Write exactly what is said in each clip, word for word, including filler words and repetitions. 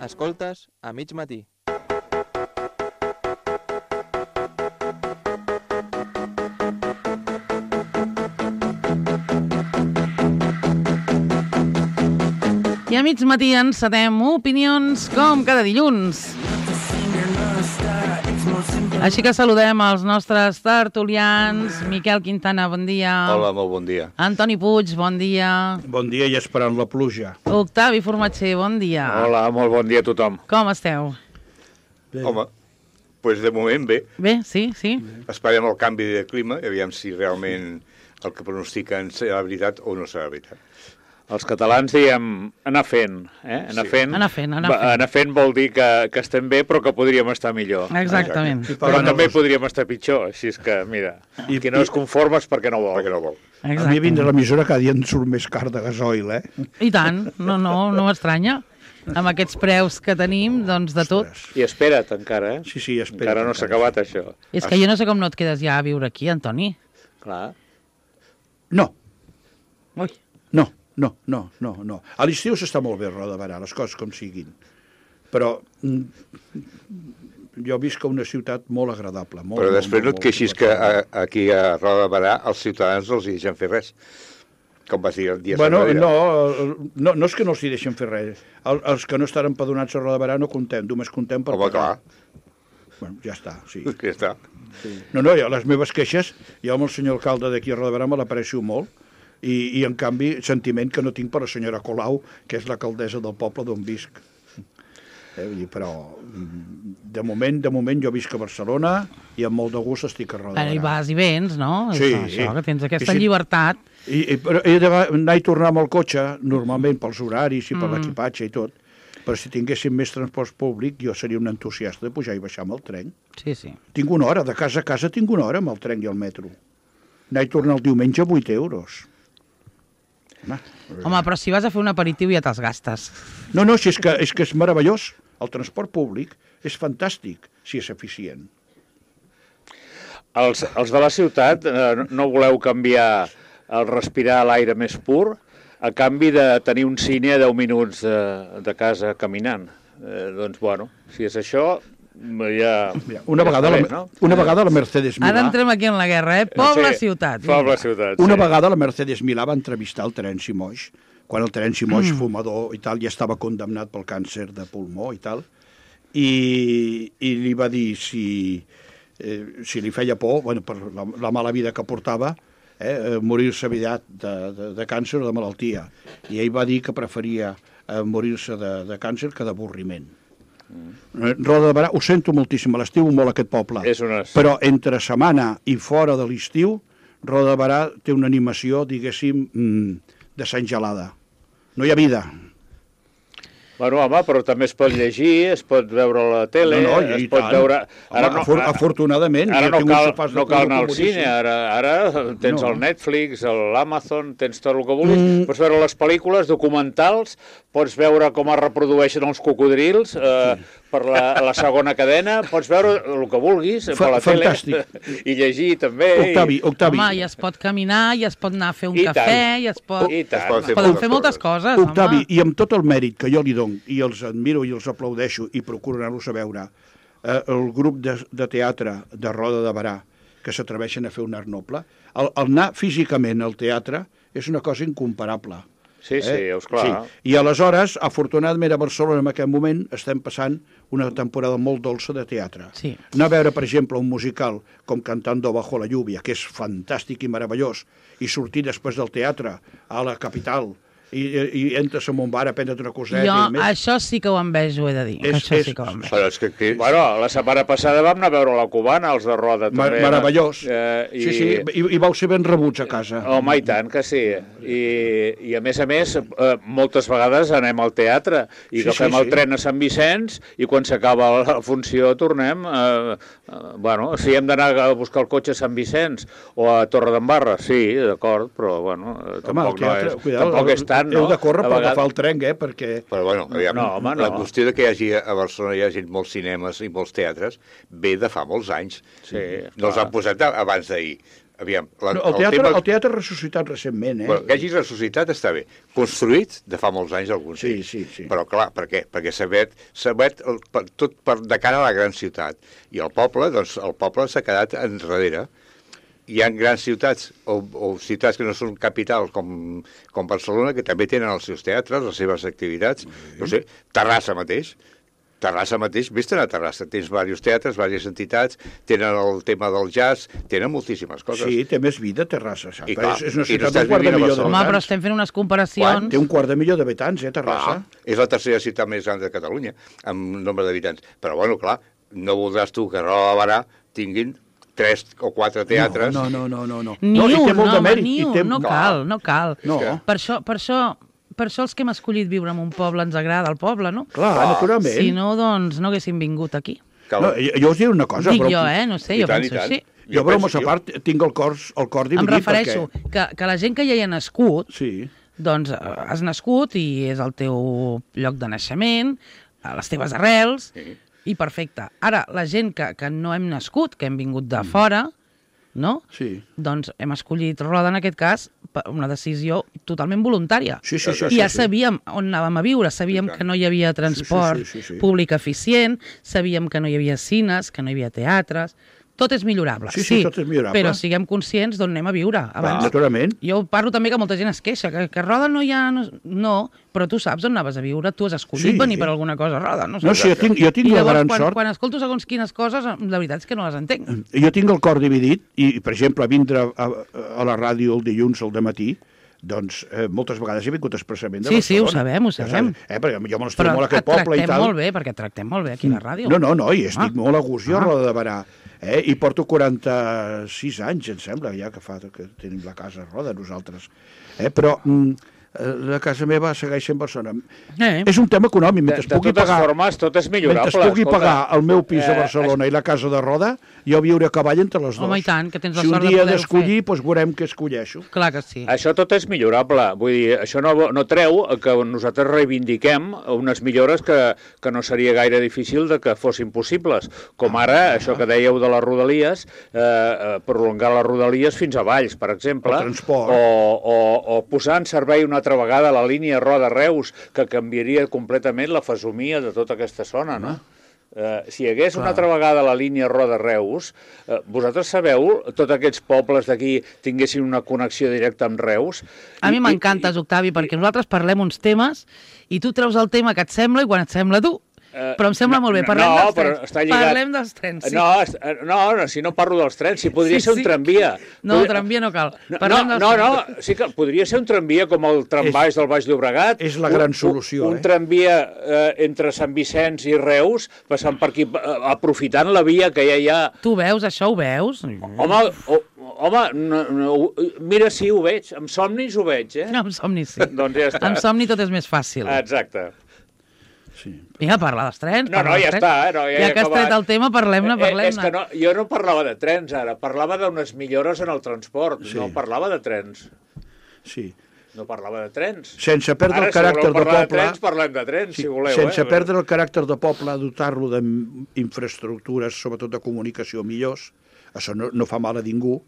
Escoltes a mig matí. I a mig matí encetem opinions com cada dilluns. Així que saludem els nostres tertulians. Miquel Quintana, bon dia. Hola, molt bon dia. Antoni Puig, bon dia. Bon dia i esperant la pluja. Octavi Formatger, bon dia. Hola, molt bon dia a tothom. Com esteu? Bé. Home, doncs de moment bé. Bé, sí, sí. Esperem el canvi de clima i aviam si realment el que pronostiquen serà veritat o no serà veritat. Els catalans diem anar fent, eh? Anar Sí. fent, Anar fent, anar va- fent. anar fent vol dir que, que estem bé però que podríem estar millor. Exactament. Exacte. Però Però també no- podríem estar pitjor, així és que, mira, I- qui no es conforma és perquè no vol. Perquè no vol. A mi Exacte. vindre a l'emissora cada dia em surt més car de gasoil, eh? I tant, no, no, no m'estranya. Amb aquests preus que tenim, doncs de tot. Ostres. I espera't encara, eh? Sí, sí, espera. Encara no s'ha acabat això. És que jo no sé com no et quedes ja a viure aquí, Antoni. Clar. No, Ui. no, no, no, no, no. A l'estiu s'està molt bé a Roda de Berà, les coses com siguin. Però mm, jo visc a una ciutat molt agradable. Molt, Però molt, després no molt, et queixis molt que agradable. a, aquí a Roda de Berà els ciutadans no els hi deixen fer res. Com vas dir el dia Bueno, enrere. no, no, no és que no els hi deixen fer res. El, els que no estan empadronats a Roda de Berà no contem, només contem per Home, pagar. clar, Bueno, ja està, sí. que està. No, no, jo, les meves queixes, jo amb el senyor alcalde d'aquí a Roda de Berà me l'aprecio molt, i, i en canvi sentiment que no tinc per la senyora Colau, que és l'alcaldessa del poble d'on visc. Eh, vull dir, però de moment, de moment jo visc a Barcelona i amb molt de gust estic a Roda Ara de hi Berà. vas i vens, no? Sí. Això, que tens aquesta I sí. llibertat. I, i, però he d'anar i tornar amb el cotxe, normalment pels horaris i per Mm. l'equipatge i tot, però si tinguéssim més transport públic jo seria un entusiasta de pujar i baixar amb el tren. Sí, sí. Tinc una hora, de casa a casa tinc una hora amb el tren i el metro. Anar i tornar el diumenge, vuit euros. Home, Home, però si vas a fer un aperitiu ja te'ls gastes. No, no, si és que, és que és meravellós. El transport públic és fantàstic, si és eficient. Els, els de la ciutat eh, no voleu canviar el respirar l'aire més pur a canvi de tenir un cine a deu minuts de, de casa caminant. Eh, doncs, bueno, si és això, ja... Mira, una, ja vegada està la, bé, no? una vegada la Mercedes Ara Milà... entrem aquí en la guerra, eh? Poble-ciutat. Poble-ciutat, Una sí. vegada la Mercedes Milà va entrevistar el Terenci Moix, quan el Terenci Moix, Mm. fumador i tal, ja estava condemnat pel càncer de pulmó i tal, i, i li va dir si, eh, si li feia por, bueno, per la, la mala vida que portava, eh, morir-se aviat de, de, de càncer o de malaltia. I ell va dir que preferia eh, morir-se de, de càncer que d'avorriment. Mm. Roda de Berà, ho sento moltíssim, a l'estiu molt aquest poble, És una... però entre setmana i fora de l'estiu, Roda de Berà té una animació, diguéssim, mm, de Sant Gelada. No hi ha vida. Bueno, home, però també es pot llegir, es pot veure a la tele, No, no, i es pot tant. veure... Home, afor- afortunadament, ara jo no tinc un cal, sofàs de no cal anar al color cine, ara, ara tens No. el Netflix, l'Amazon, tens tot el que vulguis, Mm. pots veure les pel·lícules, documentals, pots veure com es reprodueixen els cocodrils eh, per la, la segona cadena, pots veure el que vulguis Fa- per la fantàstic. tele i llegir també. Octavi, Octavi, Home, i es pot caminar, i es pot anar a fer un I cafè, tant. i es pot... I tant. Es pot Es fer poden moltes fer moltes coses. coses, Octavi, home. i amb tot el mèrit que jo li dono, i els admiro i els aplaudeixo, i procuro anar-los a veure, eh, el grup de, de teatre de Roda de Berà, que s'atreveixen a fer un art noble, el, el anar físicament al teatre és una cosa incomparable. Sí, sí, Eh? és clar. Sí. I aleshores, afortunadament a Barcelona en aquest moment estem passant una temporada molt dolça de teatre. Sí. Anar a veure, per exemple, un musical com Cantando bajo la lluvia, que és fantàstic i meravellós, i sortir després del teatre a la capital i, i entres en un bar a prendre't una coseta Jo i més. això sí que ho envejo, he de dir. que És- això és- sí que ho envejo. Però és que aquí... Bueno, la setmana passada vam anar a veure la Cubana, els de Roda, Mar també. meravellós. Eh, i... Sí, sí, i, i vau ser ben rebuts a casa. Home, i tant que sí. I, i a més a més, eh, moltes vegades anem al teatre i Sí, agafem sí, el sí. tren a Sant Vicenç i quan s'acaba la funció tornem. Eh, eh, bueno, si hem d'anar a buscar el cotxe a Sant Vicenç o a Torredembarra, sí, d'acord, però bueno, eh, Home, tampoc, el teatre, no és, cuidado, tampoc és tant, no? Heu de córrer A per vegades- agafar el tren, eh, perquè... Però bueno, aviam, No, home, la no. qüestió de que hi hagi a Barcelona hi hagi molts cinemes i molts teatres ve de fa molts anys. Sí, no els clar. han posat a- abans d'ahir. aviam... La, No, el, teatre, tema... el teatre ha ressuscitat recentment, eh? Bueno, que hagi ressuscitat està bé. Construït de fa molts anys, alguns Sí, d'ells. sí, sí. Però clar, per què? Perquè s'ha obert, s'ha obert el, per, tot per, de cara a la gran ciutat. I el poble, doncs, el poble s'ha quedat enrere. Hi ha grans ciutats o, o ciutats que no són capitals com, com Barcelona, que també tenen els seus teatres, les seves activitats. Mm. No sé, Terrassa mateix. Terrassa mateix, vés-te'n a Terrassa, tens diversos teatres, diverses entitats, tenen el tema del jazz, tenen moltíssimes coses. Sí, té més vida Terrassa, saps? I clar, és, és una i no ciutat estàs d'un quart de vivint a milió Barcelona. Home, però d'habitants. estem fent unes comparacions... Té un quart de milió d'habitants, eh, Terrassa? Clar, és la tercera ciutat més gran de Catalunya, amb nombre d'habitants. Però, bueno, clar, no voldràs tu que Roda de Barà tinguin tres o quatre teatres. No, no, no, no. no. Ni no, i té un, molt no, de home, mèrit. ni i un, té... no cal, no cal. No. Per això, per això, per això els que hem escollit viure en un poble ens agrada el poble, no? Clar, Clar. naturalment. Si no, doncs no haguéssim vingut aquí. No, jo, jo us diré una cosa, Dic però... jo, eh? No sé, I jo tant, i penso tant. així. Jo, Jo bromes penso- a part, tinc el cor, el cor dividit. Em refereixo Perquè... que, que la gent que ja hi ha nascut, Sí, doncs eh, has nascut i és el teu lloc de naixement, a les teves arrels, Sí. i perfecte. Ara, la gent que, que no hem nascut, que hem vingut de fora, no? sí. Doncs hem escollit Roda, en aquest cas, per una decisió totalment voluntària. Sí, sí, sí. I ja sí, sí. sabíem on anàvem a viure, sabíem I tant. que no hi havia transport sí, sí, sí. públic eficient, sabíem que no hi havia cines, que no hi havia teatres... Tot és millorable, Sí, sí, tot és millorable. però siguem conscients d'on anem a viure. Abans, Naturalment. jo parlo també que molta gent es queixa, que, que a Roda no hi ha... No, no, però tu saps on anaves a viure, tu has escollit Sí. venir per alguna cosa a Roda. No, No, sí, jo tinc, jo tinc I la llavors, gran quan, sort... quan escolto segons quines coses, la veritat és que no les entenc. Jo tinc el cor dividit i, per exemple, vindre a, a la ràdio el dilluns al dematí, doncs eh, moltes vegades he vingut expressament de Sí, sí, ho Barcelona. sabem, ho sabem. Eh, perquè jo me Però l'estimo molt a et aquest poble i tractem tal. molt bé, perquè et tractem molt bé aquí a la ràdio. No, no, no, i estic Ah. molt a gust jo a Ah. Roda de Barà. Eh? I porto quaranta-sis anys, em sembla, ja que fa que tenim la casa a Roda, nosaltres. Eh? Però mm, la casa meva segueix sent Barcelona. Eh. És un tema econòmic. De, Mentre de pugui totes pagar, formes, tot és millorable. mentre pugui escolta. pagar el meu pis a Eh, Barcelona i la casa de Roda, jo viure a cavall entre les dues. Home, i tant, que tens la si sort un de dia he poder-ho d'escollir, doncs veurem què escolleixo. Clar que sí. Això tot és millorable. Vull dir, això no, no treu que nosaltres reivindiquem unes millores que, que no seria gaire difícil de que fossin possibles. Com ara, això que dèieu de les Rodalies, eh, eh, prolongar les Rodalies fins a Valls, per exemple. El transport. O, o, o posar en servei una altra vegada la línia Roda-Reus, que canviaria completament la fesomia de tota aquesta zona, no? Eh, si hi hagués una altra vegada la línia Roda-Reus, eh, vosaltres sabeu, tots aquests pobles d'aquí tinguessin una connexió directa amb Reus? A mi I- m'encantes, Octavi, perquè nosaltres parlem uns temes i tu treus el tema que et sembla i quan et sembla tu. Eh, Però em sembla molt bé, no, parlem no, dels però trens. està lligat- Parlem dels trens, sí. No, est- eh, no, no, si no parlo dels trens, si podria Sí, ser un sí. tramvia. No, Podria- tramvia no cal. No, Parlem no, dels no, trens. no, sí que podria ser un tramvia com el trambaix del Baix Llobregat. és la gran Un- solució, Un, un eh? tramvia eh, entre Sant Vicenç i Reus, passant per aquí, eh, aprofitant la via que ja hi ha. Tu veus, això ho veus? Home, o, home no, no, mira, sí, ho veig. Amb somnis ho veig, eh? No, amb somni sí. Doncs ja està. Amb somni tot és més fàcil. Exacte. Sí. Vinga, parla dels trens. No, parla no, dels ja trens. està, eh? No, ja, ja he que has acabat. tret el tema, parlem-ne, Eh, És parlem-ne. que no, jo no parlava de trens ara, parlava d'unes millores en el transport, Sí. no parlava de trens. Sí. No parlava de trens. Sense perdre Ara, el caràcter si voleu de parlar de poble... trens, parlem de trens, Sí, si voleu. sense eh? perdre el caràcter de poble, dotar-lo d'infraestructures, sobretot de comunicació millors, això no, no fa mal a ningú,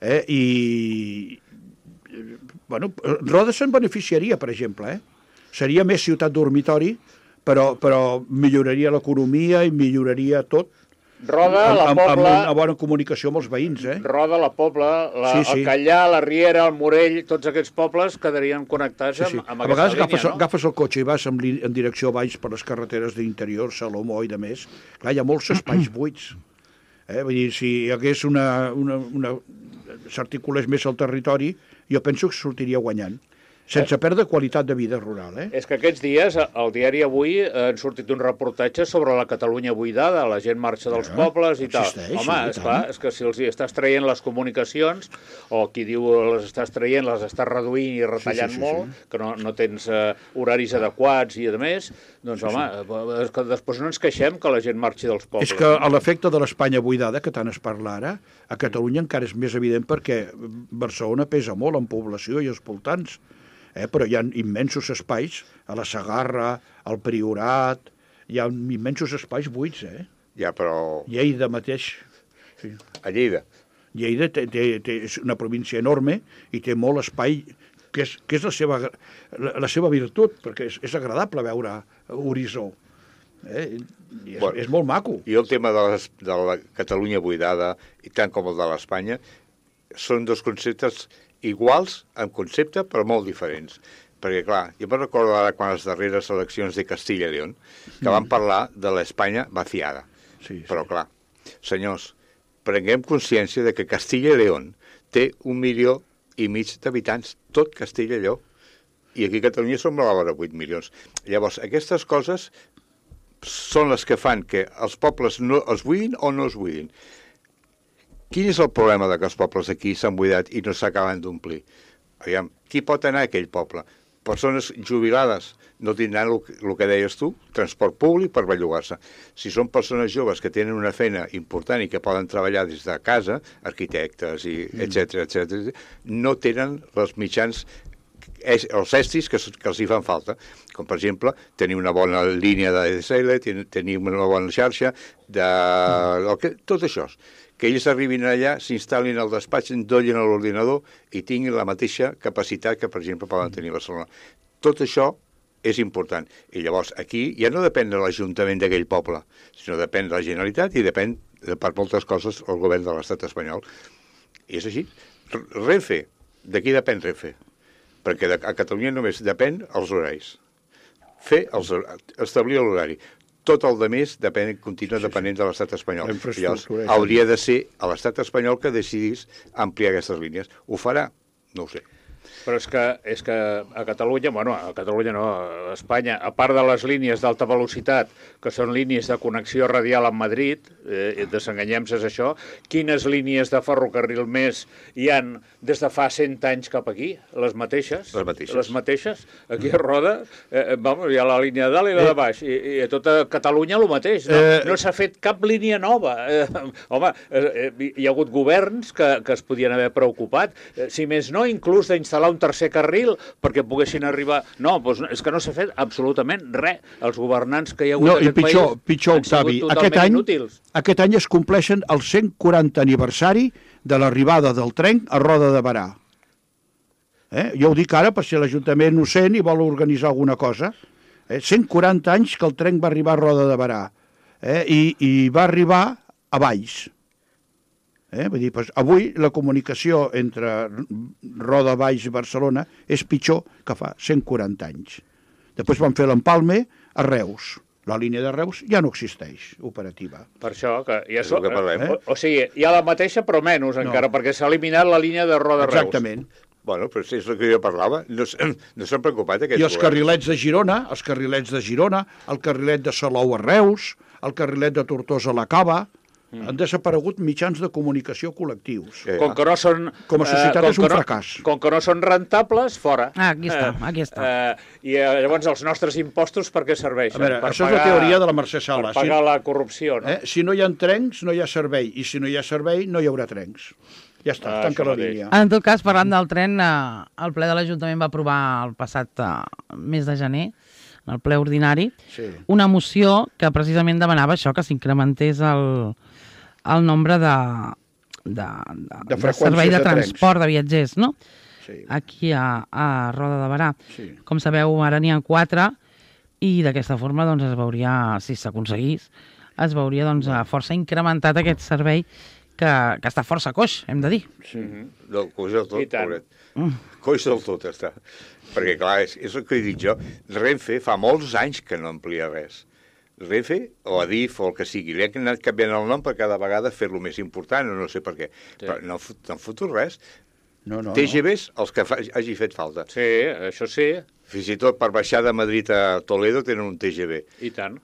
eh? I, bueno, Roda se'n beneficiaria, per exemple, eh? Seria més ciutat dormitori, però, però milloraria l'economia i milloraria tot, Roda, amb, la amb, amb Pobla, una bona comunicació amb els veïns, eh? Roda, la Pobla, la, Sí, sí. el Callà, la Riera, el Morell, tots aquests pobles quedarien connectats Sí, sí. amb, amb A vegades aquesta agafes, línia, no? agafes el cotxe i vas en, li- en direcció baix per les carreteres d'interior, Salomó i de més. Clar, hi ha molts espais buits. Eh? Vull dir, si hi hagués una... una, una s'articulés més el territori, jo penso que sortiria guanyant. Sense perdre qualitat de vida rural, eh? És que aquests dies, al diari Avui, eh, han sortit un reportatge sobre la Catalunya buidada, la gent marxa dels Ja, pobles i tal. existeix, Home, sí, i esclar, tant. és que si els hi estàs traient les comunicacions, o qui diu les estàs traient, les estàs reduint i retallant sí, sí, molt, que no, no tens eh, horaris adequats i a més, doncs home, eh, és que després no ens queixem que la gent marxi dels pobles. És que a l'efecte de l'Espanya buidada, que tant es parla ara, a Catalunya encara és més evident perquè Barcelona pesa molt en població i els voltants, eh? Però hi ha immensos espais, a la Segarra, al Priorat, hi ha immensos espais buits, eh? Ja, però Lleida mateix. Sí. a Lleida. Lleida té, té, té, és una província enorme i té molt espai, que és, que és la, seva, la, la seva virtut, perquè és, és agradable veure horitzó. Eh? I és, Bueno, és molt maco. I el tema de, les, de la Catalunya buidada, i tant com el de l'Espanya, són dos conceptes iguals en concepte, però molt diferents. Perquè, clar, jo me'n recordo ara quan les darreres eleccions de Castilla i León, que mm. van parlar de l'Espanya vaciada. Sí, sí. Però, clar, senyors, prenguem consciència de que Castilla i León té un milió i mig d'habitants, tot Castella i Lleó. I aquí a Catalunya som a la vora vuit milions. Llavors, aquestes coses són les que fan que els pobles no es buidin o no es buidin. Quin és el problema de que els pobles aquí s'han buidat i no s'acaben d'omplir? Aviam, qui pot anar a aquell poble? Persones jubilades no tindran el, el que deies tu, transport públic per bellugar-se. Si són persones joves que tenen una feina important i que poden treballar des de casa, arquitectes, i etcètera, etcètera, no tenen els mitjans, els estris que, que els hi fan falta, com per exemple tenir una bona línia de D S L, tenir una bona xarxa, de, que, tot això, que ells arribin allà, s'instal·lin al despatx, endollin a l'ordinador i tinguin la mateixa capacitat que, per exemple, poden tenir a Barcelona. Tot això és important. I llavors aquí ja no depèn de l'Ajuntament d'aquell poble, sinó depèn de la Generalitat i depèn, per moltes coses, el govern de l'estat espanyol. I és així. Renfe, d'aquí depèn Renfe, perquè a Catalunya només depèn els horaris. Fer els, establir l'horari. Tot el de més depèn, continua depenent de l'estat espanyol. Llavors, hauria de ser a l'estat espanyol que decidís ampliar aquestes línies. Ho farà? No ho sé. Però és que, és que a Catalunya, bueno, a Catalunya no, a Espanya, a part de les línies d'alta velocitat, que són línies de connexió radial amb Madrid, eh, desenganyem-se és això, quines línies de ferrocarril més hi han des de fa cent anys cap aquí? Les mateixes? Les mateixes. Les mateixes. Aquí a Roda, eh, vamos, hi ha la línia de dalt i la de baix, i, i a tota Catalunya el mateix. No, Eh... no s'ha fet cap línia nova. Eh, home, eh, hi ha hagut governs que, que es podien haver preocupat, eh, si més no, inclús d'instal·lar un tercer carril perquè poguessin arribar... No, doncs és que no s'ha fet absolutament res. Els governants que hi ha hagut no, en aquest pitjor, país pitjor, han sigut Octavi, totalment aquest any, inútils. Aquest any es compleixen el cent quaranta aniversari de l'arribada del tren a Roda de Berà. Eh? Jo ho dic ara per si l'Ajuntament ho sent i vol organitzar alguna cosa. Eh? cent quaranta anys que el tren va arribar a Roda de Berà. Eh? I, I va arribar a Valls. Eh? Vull dir, doncs, avui la comunicació entre Roda, Valls i Barcelona és pitjor que fa cent quaranta anys. Després van fer l'empalme a Reus. La línia de Reus ja no existeix, operativa. Per això, que ja És el que parlem. o, o sigui, hi ha la mateixa, però menys No. encara, perquè s'ha eliminat la línia de Roda-Reus. Exactament. Bueno, però és el que jo parlava. No, s- no s'han preocupat aquests I els carrilets de Girona, els carrilets de Girona, el carrilet de Salou a Reus, el carrilet de Tortosa a la Cava, mm. han desaparegut mitjans de comunicació col·lectius. Eh, Com que no són... Com a societat com és un que no- fracàs. Com que no són rentables, fora. Ah, aquí està, aquí està. Eh, I eh, llavors els nostres impostos per què serveixen? A veure, per això és la teoria de la Mercè Sala. Per pagar la corrupció, no? Eh? Si no hi ha trens, no hi ha servei. I si no hi ha servei, no hi haurà trens. Ja està, Ah, tanca això la mateix. línia. En tot cas, parlant del tren, eh, el ple de l'Ajuntament va aprovar el passat eh, mes de gener, en el ple ordinari, Sí. una moció que precisament demanava això, que s'incrementés el, el nombre de, de, de, De de freqüències servei de, de trens. transport de viatgers, no? Sí. Aquí a, a Roda de Berà. Sí. Com sabeu, ara n'hi ha quatre i d'aquesta forma doncs, es veuria, si s'aconseguís, es veuria doncs, força incrementat aquest servei que, que està força coix, hem de dir. Sí. No, coix del tot, I tant. pobret. Coix del tot està. Perquè, clar, és, és el que he dit jo. Renfe fa molts anys que no amplia res. Renfe, o Adif, o el que sigui, li han anat canviant el nom per cada vegada fer-lo més important, o no sé per què. Sí. Però no, fot- no han fotut res. No, no, T G Vs, els que fa, hagi fet falta. Sí, això sí, Fins i tot per baixar de Madrid a Toledo tenen un T G V. i tant.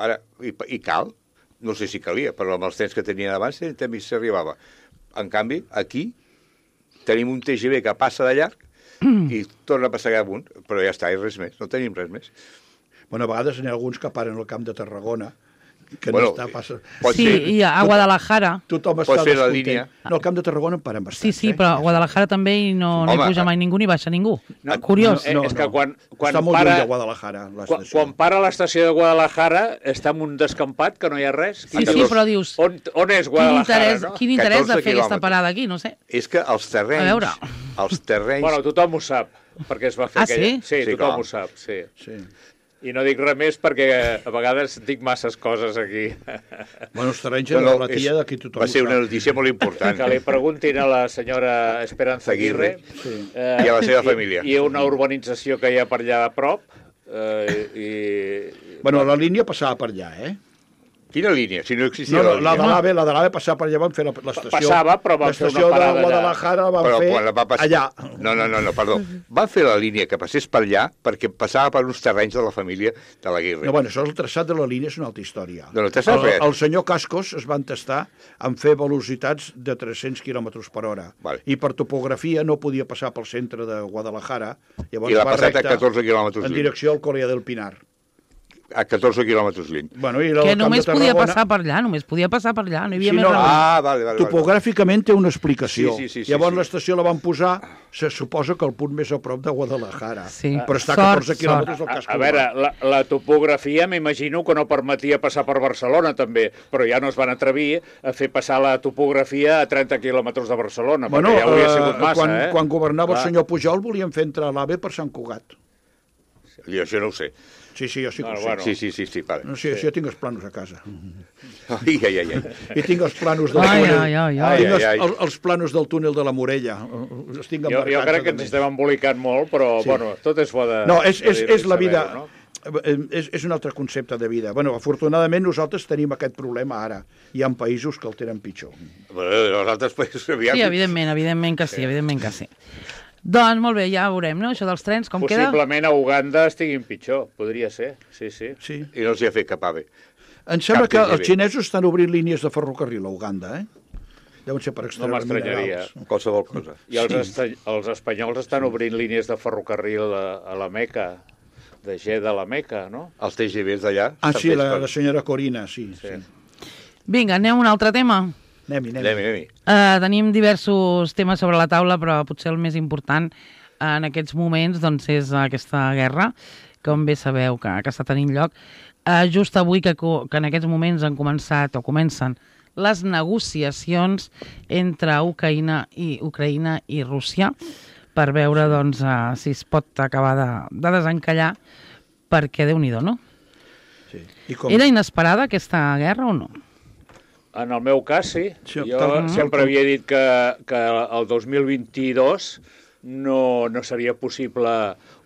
Ara, i, i cal? No sé si calia, però amb els trens que tenien abans també s'arribava. En canvi, aquí tenim un T G V que passa de llarg i torna a passar amunt, però ja està, i res més, no tenim res més. Bueno, a vegades n'hi ha alguns que paren al Camp de Tarragona, que Bueno, no està passa... pot Sí, ser- i a Guadalajara. Tothom Pots està fer la descontent. línia. No, al Camp de Tarragona en paren bastants. Sí, sí, eh? però a Guadalajara també i no, no hi Home, puja mai ningú ni baixa ningú. Curiós. Eh, és que quan, quan està molt para, lluny de Guadalajara, quan, l'estació. quan para a l'estació de Guadalajara està en un descampat que no hi ha res. Sí, I sí, dius, però dius... On, on és Quin Guadalajara, interès, no? quin interès de catorze fer aquesta quilòmetres. parada aquí? No sé. És que els A terrenys... veure. Els terrenys... Bueno, tothom ho sap, perquè es va fer Ah, aquella... sí? Sí, Sí, tothom clar. ho sap, sí. Sí. I no dic res més perquè a vegades dic masses coses aquí. Bueno, els terrenys No, de no, la tia és- d'aquí tothom va ser ho una sap. notícia molt important. Que li preguntin a la senyora Esperanza Aguirre, Sí. eh, I a la seva família. I, i una urbanització que hi ha per allà a prop. Eh, i, Bueno, la línia passava per allà, eh? Quina línia? Si no existia No, no, la la de línia. l'AVE, la de l'AVE passava per allà, van fer la- l'estació... Passava, però van fer una L'estació de parada allà. Guadalajara la van Però fer quan la va passar... allà. No, no, no, no, perdó. Van fer la línia que passés per allà perquè passava per uns terrenys de la família de l'Aguirre. No, bueno, això el traçat de la línia és una altra història. No, no te saps el, res. el senyor Cascos es va entestar en fer velocitats de tres-cents quilòmetres per hora. Vale. I per topografia no podia passar pel centre de Guadalajara. Llavors I l'ha va passat a recte catorze quilòmetres en lluny. direcció al Corea del Pinar. A catorze quilòmetres lluny. Bueno, i el Que Camp només de podia Tarragona, passar per allà, només podia passar per allà, no hi havia Sí, més no, remei. Ah, vale, vale. vale. Topogràficament té una explicació. Sí, sí, sí, sí, Llavors sí. l'estació la van posar, se suposa que el punt més a prop de Guadalajara. Sí. Però està a Sort, catorze quilòmetres del A, casco a veure, urbà. la, la topografia m'imagino que no permetia passar per Barcelona també, però ja no es van atrevir a fer passar la topografia a trenta quilòmetres de Barcelona, Bueno, perquè ja hauria eh, sigut massa, quan, eh? quan governava Clar. el senyor Pujol volien fer entrar l'AVE per Sant Cugat. Jo això no ho sé. Sí, sí, jo sí que Bueno, ho sé. bueno. Sí, sí, sí, sí, vale. No sé, sí. Jo tinc els planos a casa. Ai, ai, ai, ai. I tinc els planos del Ai, túnel. ai, ai, ai. Tinc els, Ai, ai. el, els planos del túnel de la Morella. Els tinc Jo, jo emmarcats, crec que a ens més. estem embolicant molt, però, Sí. bueno, tot és bo de... No, és, és, de és la vida... saber-ho, no? Eh, És, és un altre concepte de vida. Bueno, afortunadament nosaltres tenim aquest problema ara. Hi ha països que el tenen pitjor. Bueno, els altres països... Aviam. Sí, evidentment, evidentment que sí, evidentment que sí. Doncs molt bé, ja veurem, no? Això dels trens, com queda? Possiblement a Uganda estiguin pitjor, podria ser, sí, sí. Sí. I no els hi ha fet cap ave. Em sembla Cap que T G V. els xinesos estan obrint línies de ferrocarril a Uganda, eh? Deuen ser per extreure m'estranyaria. minerals. Qualsevol cosa. I els, esta els espanyols estan obrint línies de ferrocarril a, a la Meca, de Jeddah a la Meca, no? Els T G Vs d'allà... Ah, estan sí, fets la, per- la senyora Corina, sí. sí. Sí. Vinga, anem a un altre tema. Anem-hi, anem-hi. Anem-hi, anem-hi. Uh, tenim diversos temes sobre la taula, però potser el més important en aquests moments doncs, és aquesta guerra, com bé sabeu que, que està tenint lloc. Uh, just avui que, co- que en aquests moments han començat o comencen les negociacions entre Ucraïna i, Ucraïna i Rússia per veure doncs, uh, si es pot acabar de, de desencallar, perquè Déu-n'hi-do, no? Sí. I com... Era inesperada aquesta guerra o no? En el meu cas, sí. Sí, Jo tal- sempre tal- havia dit que, que el dos mil vint-i-dos no, no seria possible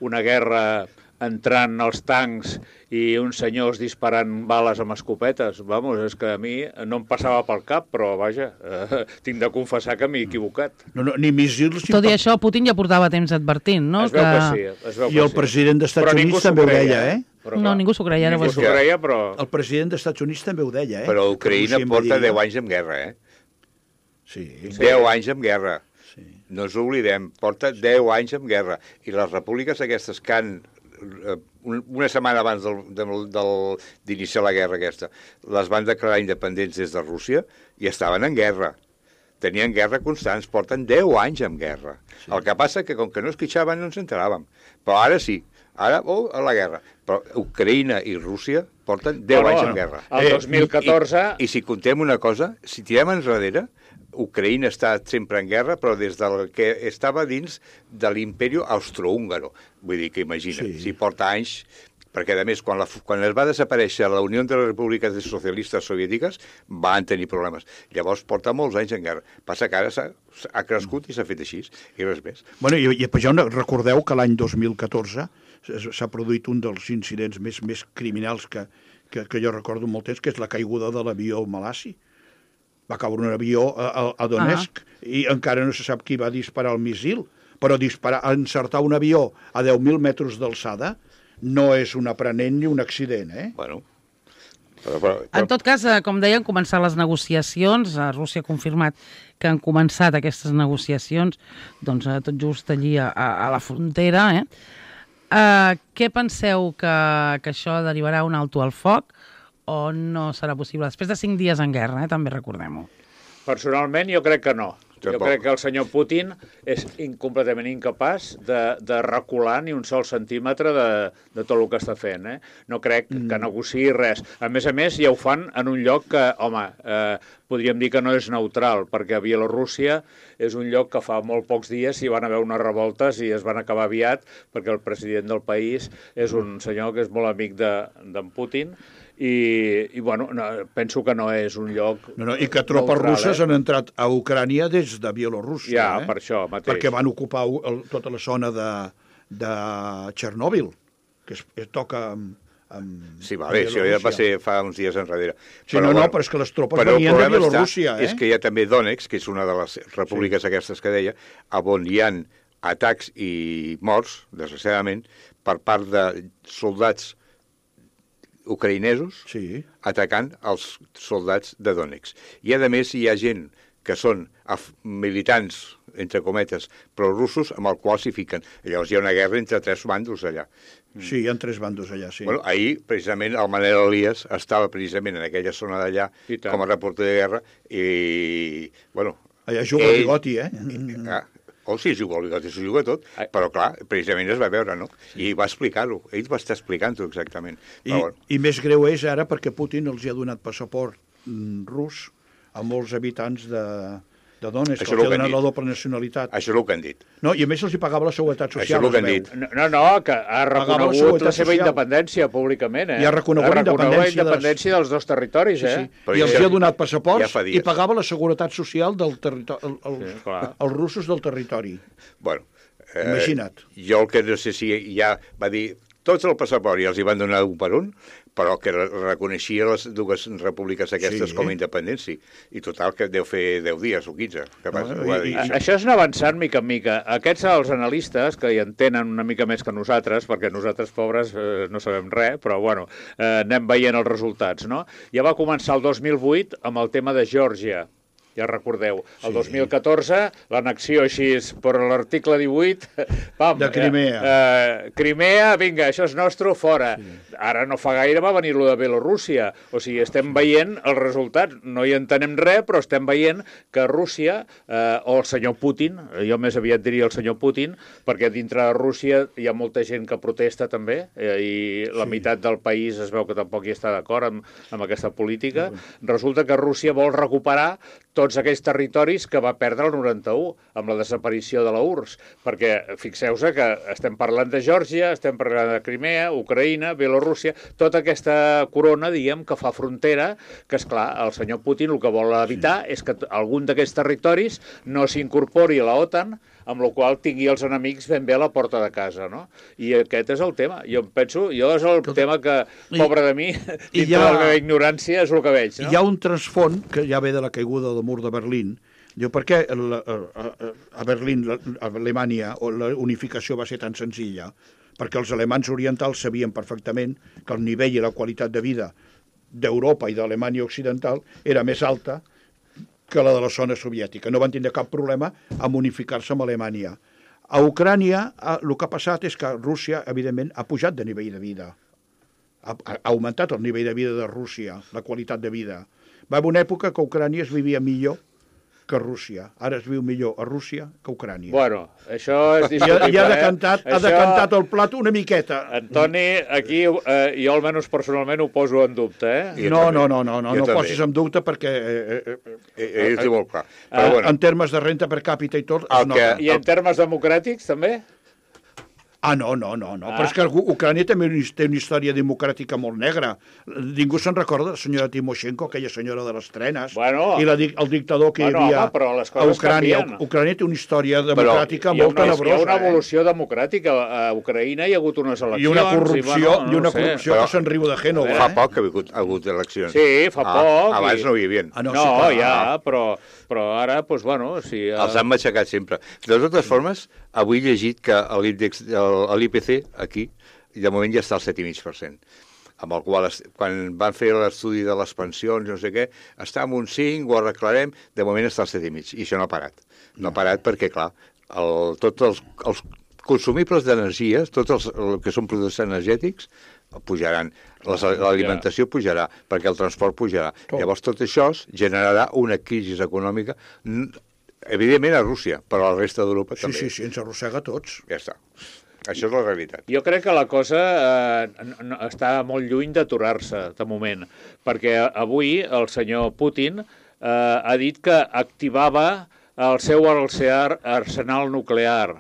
una guerra entrant als tancs i uns senyors disparant bales amb escopetes. Vamos, és que a mi no em passava pel cap, però vaja, eh, tinc de confessar que m'he equivocat. No, no, ni míssils... ni Tot i pa- això, Putin ja portava temps advertint, no? Es veu que sí. Es veu I que el sí. president dels Estats Però ningú Units s'ho també ho creia, deia, eh? Però, No, clar, ningú s'ho creia, ara Ningú ho s'ho és. creia, però... El president dels Estats Units també ho deia, eh? Però Que Ucraïna Rússia porta invadia. deu anys en guerra, eh? Sí. deu anys en guerra. Sí. No ens oblidem, porta deu anys en guerra. I les repúbliques aquestes que han, eh, un- una setmana abans del, del, del, d'iniciar la guerra aquesta, les van declarar independents des de Rússia i estaven en guerra. Tenien guerra constants, porten deu anys en guerra. Sí. El que passa que com que no es quitxaven no ens enteràvem. Però ara sí, ara, oh, a la guerra. Però Ucraïna i Rússia porten deu No, no, anys no. en guerra. El dos mil catorze... I, I si contem una cosa, si tirem enrere, Ucraïna està sempre en guerra, però des del que estava dins de l'imperi austrohúngaro. Vull dir que imagina, Sí. si porta anys... Perquè, a més, quan, la, quan es va desaparèixer la Unió de les Repúbliques Socialistes Soviètiques, van tenir problemes. Llavors, porta molts anys en guerra. Passa que ara s'ha, ha crescut i s'ha fet així, i res més. Bueno, i, i ja recordeu que l'any dos mil catorze s'ha produït un dels incidents més, més criminals que, que, que jo recordo molt temps, que és la caiguda de l'avió Malassi. Va caure un avió a, a, a Donetsk uh -huh. i encara no se sap qui va disparar el missil, però disparar, encertar un avió a deu mil metres d'alçada no és un aprenent ni un accident, eh? Bueno, però, però, En però, tot cas, eh, com deien, començar les negociacions. A Rússia ha confirmat que han començat aquestes negociacions, doncs eh, tot just allí a, a la frontera. Eh? Uh, què penseu que, que això derivarà un alto al foc o no serà possible? Després de cinc dies en guerra, eh? També recordem-ho. Personalment, jo crec que no. Jo Tampoc. crec que el senyor Putin és completament incapaç de, de recular ni un sol centímetre de, de tot el que està fent. Eh? No crec mm. que negociï res. A més a més, ja ho fan en un lloc que, home, eh, podríem dir que no és neutral, perquè a Bielorússia és un lloc que fa molt pocs dies hi van haver unes revoltes i es van acabar aviat, perquè el president del país és un senyor que és molt amic d'en de, Putin, i, i bueno, no, penso que no és un lloc no, no, i que tropes neutral, russes eh? han entrat a Ucrània des de Bielorússia. Ja, eh? per això mateix. Perquè van ocupar el, tota la zona de, de Txernòbil, que es, es toca amb, amb Sí, vale, això ja va ser fa uns dies enrere. Sí, no, no, però és que les tropes però venien de el problema Bielorússia, està, eh? és que hi ha també Donetsk, que és una de les repúbliques sí. aquestes que deia, on hi ha atacs i morts, desgraciadament, per part de soldats ucraïnesos sí. atacant els soldats de Donetsk. I, a més, hi ha gent que són militants, entre cometes, prorussos, amb el qual s'hi fiquen. Llavors hi ha una guerra entre tres bàndols allà. Sí, hi ha tres bandos allà, sí. Bueno, ahir, precisament, el Manel Elias estava precisament en aquella zona d'allà com a reporter de guerra i, bueno... Allà juga el bigoti, eh? Ah, o sí, juga el bigoti, s'ho juga tot, però clar, precisament es va veure, no? I va explicar-ho, ell va estar explicant-ho exactament. I, però, bueno. I més greu és ara perquè Putin els hi ha donat passaport mm, rus a molts habitants de, de Donetsk, que els hi ha donat la doble nacionalitat. Això és el que han dit. No, i a més els hi pagava la seguretat social. Això és el que han dit. No, no, que ha reconegut la, la seva social. independència públicament, eh? I ha reconegut, ha reconegut la independència de les... dels dos territoris, sí, eh? sí. I els hi ha donat passaports ja i pagava la seguretat social del territori, el, el, sí, clar. els russos del territori. Bueno, eh, imagina't. Jo el que no sé si ja va dir, tots el passaport i els hi van donar un per un, però que reconeixia les dues repúbliques aquestes sí. com a independència. I total, que deu fer deu dies o quinze. Que no, no, i, i, això. això és anar avançant mica en mica. Aquests, els analistes, que hi entenen una mica més que nosaltres, perquè nosaltres, pobres, eh, no sabem res, però, bueno, eh, anem veient els resultats, no? Ja va començar el dos mil vuit amb el tema de Geòrgia. Ja recordeu, el sí. dos mil catorze, l'annexió així per l'article divuit, pam, de Crimea. Eh, eh, Crimea, vinga, això és nostre, fora. Sí. Ara no fa gaire va venir lo de Bielorússia. O sigui, estem veient els resultats. No hi entenem res, però estem veient que Rússia, eh, o el senyor Putin, jo més aviat diria el senyor Putin, perquè dintre de Rússia hi ha molta gent que protesta també, eh, i la sí. meitat del país es veu que tampoc hi està d'acord amb, amb aquesta política. Sí. Resulta que Rússia vol recuperar tots aquells territoris que va perdre el noranta-u amb la desaparició de la U R S S, perquè fixeu-se que estem parlant de Geòrgia, estem parlant de Crimea, Ucraïna, Bielorússia, tota aquesta corona, diguem, que fa frontera, que, és clar, el senyor Putin el que vol evitar sí. és que algun d'aquests territoris no s'incorpori a la OTAN, amb la qual tingui els enemics ben bé a la porta de casa, no? I aquest és el tema. Jo penso, jo és el Tot... tema que, pobre de mi, dintre ha... de la meva ignorància, és el que veig, no? Hi ha un transfont que ja ve de la caiguda del mur de Berlín. Diu, per què a, a, a Berlín, a Alemanya, la unificació va ser tan senzilla? Perquè els alemans orientals sabien perfectament que el nivell i la qualitat de vida d'Europa i d'Alemanya occidental era més alta que la de la zona soviètica. No van tindre cap problema amb unificar-se amb Alemanya. A Ucrània, el que ha passat és que Rússia, evidentment, ha pujat de nivell de vida. Ha, ha augmentat el nivell de vida de Rússia, la qualitat de vida. Va haver una època que a Ucrània es vivia millor que Rússia. Ara es viu millor a Rússia que a Ucrània. Bueno, això és discutible. I ha decantat, eh? ha decantat el plat una miqueta. Antoni, aquí eh, jo almenys personalment ho poso en dubte, eh? No, no, no, no, no, no posis en dubte perquè... Eh, eh, eh, eh, és molt clar. Però, bueno. En termes de renta per càpita i tot... El que... I en termes democràtics, també? Ah, no, no, no, no. Ah. Però és que Ucrània també té una història democràtica molt negra. Ningú se'n recorda de la senyora Timoshenko, aquella senyora de les trenes, bueno, i la, el dictador que bueno, hi havia home, a Ucrània. Canvien. Ucrània té una història democràtica molt tenebrosa. Hi ha una evolució eh? democràtica. A Ucraïna hi ha hagut unes eleccions. I una corrupció, i, bueno, no, i una no corrupció sé. que se'n riu de Génova. Fa poc que ha hagut, ha hagut eleccions. Sí, fa ah, poc. Abans i... no hi havia. Ah, no, no sí, ja, però, però ara, doncs, bueno... Si, uh... Els han matxacat sempre. De totes formes, avui he llegit que l'índex, l'I P C, aquí, de moment ja està al set coma cinc per cent, amb el qual, quan van fer l'estudi de les pensions, no sé què, està en un cinc, ho arreglarem, de moment està al set coma cinc, i això no ha parat. No ha parat perquè, clar, el, tots els, els consumibles d'energia, tots els el que són productes energètics, pujaran. L'alimentació pujarà, perquè el transport pujarà. Tot. Llavors tot això generarà una crisi econòmica, evidentment a Rússia, però a la resta d'Europa Sí, també. sí, sí, ens arrossega a tots. Ja està. Això és la realitat. Jo crec que la cosa eh, no, està molt lluny d'aturar-se, de moment, perquè avui el senyor Putin eh, ha dit que activava el seu arsenal nuclear.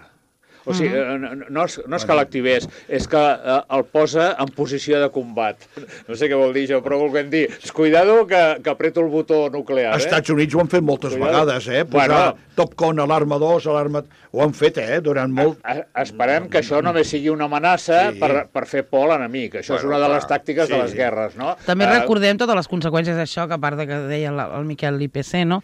O sigui, no, no, és, no és que l'activés, és que eh, el posa en posició de combat. No sé què vol dir això, però volguem dir, cuidado que, que apreto el botó nuclear. Els Eh? Estats Units ho han fet moltes Cuidado. vegades, eh? Posar Bueno. Top Gun, alarma dos, alarma... Ho han fet, eh? Durant molt... A, esperem que això només sigui una amenaça Sí. per, per fer por a l'enemic. Això Bueno, és una de les clar, tàctiques sí. de les guerres, no? També Eh, recordem totes les conseqüències d'això, que a part de que deia la- el Miquel l'I P C, no?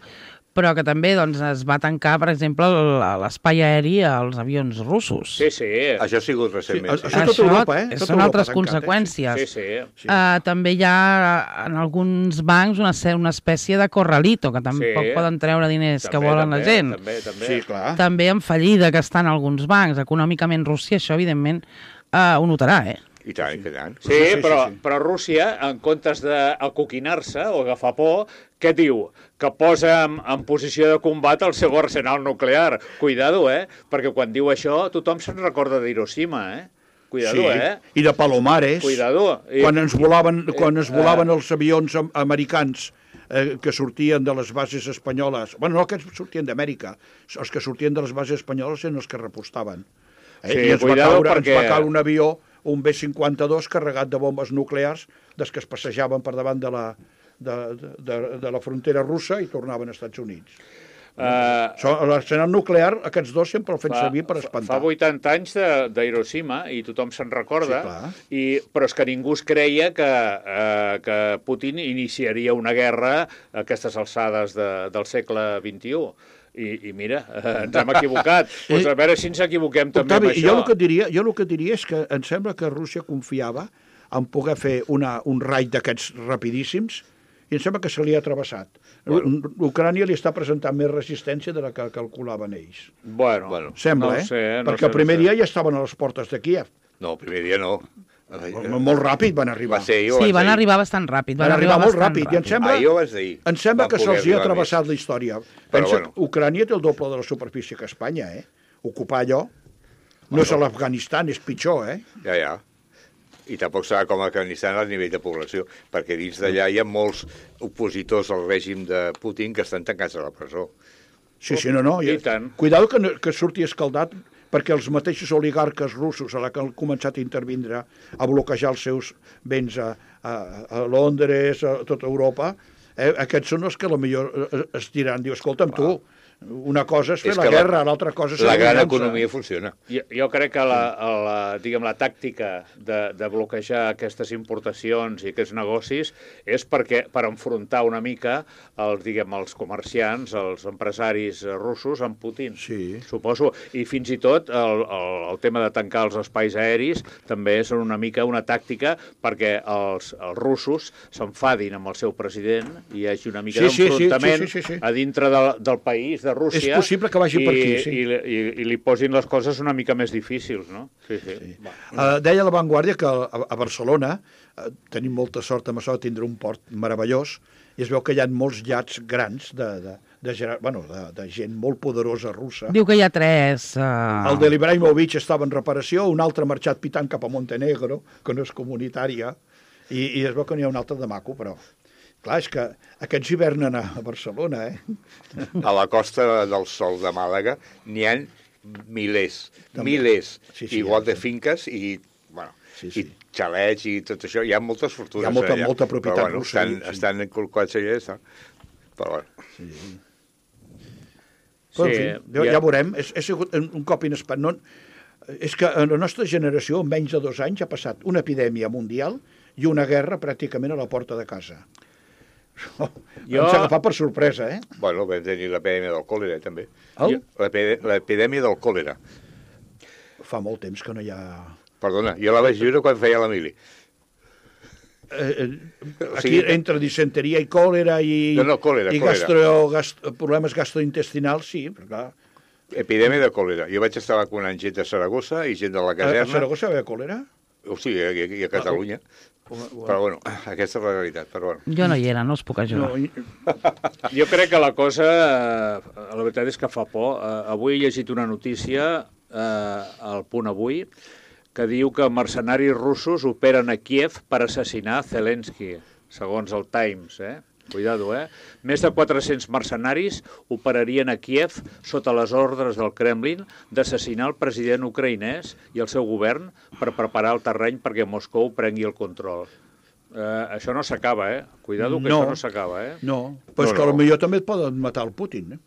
Però que també doncs, es va tancar, per exemple, l- l'espai aeri als avions russos. Sí, sí. Això ha sigut recentment. Sí, Sí, això- tot Europa, eh? Tot Són Europa altres tancat, eh? conseqüències. Sí, sí. Sí. Uh, també hi ha en alguns bancs una, ce- una espècie de corralito, que tampoc Sí. poden treure diners que També, volen també, la gent. També, també. Sí, clar. També en fallida que estan alguns bancs. Econòmicament Rússia això, evidentment, uh, ho notarà, eh? I tant, i tant. Sí, Sí, sí, però, sí, sí. però Rússia, en comptes d'acoquinar-se o agafar por, què diu? Que posa en, en posició de combat el seu arsenal nuclear. Cuidado, eh? Perquè quan diu això, tothom se'n recorda d'Hiroshima, eh? Cuidado, sí. eh? I de Palomares. Cuidado. I- Quan ens volaven, quan es eh, volaven els avions am- americans eh, que sortien de les bases espanyoles, bueno, no que sortien d'Amèrica, els que sortien de les bases espanyoles eren els que repostaven. Eh? Sí, I ens va, cuidado caure, perquè- ens va caure un avió, un B cinquanta-dos, carregat de bombes nuclears, des que es passejaven per davant de la, de, de, de la frontera russa i tornaven als Estats Units. Eh, So, l'arsenal nuclear, aquests dos sempre el fan fa, servir per fa espantar. vuitanta anys de- d'Hiroshima i tothom se'n recorda, Sí, clar. i, però és que ningú es creia que, eh, que Putin iniciaria una guerra a aquestes alçades de, del segle vint-i-u. I, i mira, eh, ens hem equivocat. Pues a veure si ens equivoquem també Octavi, amb això. jo el que et diria, jo el que et diria és que em sembla que Rússia confiava en poder fer una, un raid d'aquests rapidíssims i em sembla que se li ha travessat. Bueno. Ucrània li està presentant més resistència de la que calculaven ells. Bueno, Bueno, Sembla, no eh? Sé, no Perquè sé, el primer no sé. dia ja estaven a les portes de Kíev. no, el primer dia no. Molt ràpid van arribar. Va ser ahir o Sí, abans van d'ahir? arribar bastant ràpid. Van arribar molt bastant ràpid. I em sembla, Ahir o abans d'ahir? em sembla Van que poder se'ls hi ha arribar travessat més. la història. Però Pensa bueno. que Ucrània té el doble de la superfície que Espanya, eh? Ocupar allò no és a l'Afganistan, és pitjor, eh? Ja, ja. I tampoc serà com a Afganistan a nivell de població, perquè dins d'allà hi ha molts opositors al règim de Putin que estan tancats a la presó. Sí, sí, no, no. I tant. Cuidado que, no- que surti escaldat, perquè els mateixos oligarques russos, a la que han començat a intervindre, a bloquejar els seus béns a, a, a Londres, a tota Europa, eh, aquests són els que potser es diran, diu, escolta'm, tu, una cosa és fer És la que la- guerra, l'altra cosa és La la gran venjança. economia funciona. Jo, jo crec que la, la, diguem, la tàctica de, de bloquejar aquestes importacions i aquests negocis és perquè per enfrontar una mica els, diguem, els comerciants, els empresaris russos amb Putin, Sí. suposo. I fins i tot el, el, el tema de tancar els espais aeris també és una mica una tàctica perquè els, els russos s'enfadin amb el seu president i hi hagi una mica Sí, sí, sí, d'enfrontament sí, sí, sí, sí. a dintre del, del país, de Rússia. És possible que vagi i, per aquí, sí. I, i, i li posin les coses una mica més difícils, no? Sí, sí. sí. Uh, deia la Vanguardia que a, a Barcelona uh, tenim molta sort amb això de tindre un port meravellós i es veu que hi ha molts llats grans de, de, de, gener- bueno, de, de gent molt poderosa russa. Diu que hi ha tres... Uh... El de l'Ibrahimovic estava en reparació, un altre ha marxat pitant cap a Montenegro, que no és comunitària, i, i es veu que n'hi ha un altre de maco, però... Clar, és que aquests hivernen a a Barcelona, eh? A la Costa del Sol de Màlaga n'hi ha milers, També. milers, Sí, sí, igual ja, de sí. finques i, bueno, Sí, sí. i xalets i tot això. Hi ha moltes fortunes Hi ha molta- allà. molta propietat però, bueno, russa, Estan, sí. estan inculcats allà, està. Però bueno. Però, en Sí, fi, ja, ja- ja veurem. És, és sigut un un cop inesperat. No, és que en la nostra generació, en menys de dos anys, ha passat una epidèmia mundial i una guerra pràcticament a la porta de casa. Oh, Jo- Ens ha agafat per sorpresa, eh? Bueno, vam tenir l'epidèmia del còlera, també. El? L'epide- L'epidèmia del còlera. Fa molt temps que no hi ha... Perdona, jo la vaig viure quan feia la mili. Eh, eh, O aquí sigui- entre disenteria i còlera i, No, no, còlera, i còlera. gastro, gast, problemes gastrointestinals, sí, però clar, Epidèmia de còlera. Jo vaig estar vacunant gent de Saragossa i gent de la a, a caserna. Saragossa hi havia còlera? O sigui, i a Catalunya. Però, bueno, aquesta és la realitat. Però, bueno. Jo no hi era, no us puc ajudar. No, Jo crec que la cosa, eh, la veritat és que fa por. Eh, avui he llegit una notícia eh, al Punt Avui que diu que mercenaris russos operen a Kiev per assassinar Zelensky, segons el Times, eh? Cuidado, eh? Més de quatre-cents mercenaris operarien a Kiev sota les ordres del Kremlin d'assassinar el president ucraïnès i el seu govern per preparar el terreny perquè Moscou prengui el control. Eh, això no s'acaba, eh? Cuidado que No. això no s'acaba, eh? no. Però és No, que no. potser també et poden matar el Putin. Eh?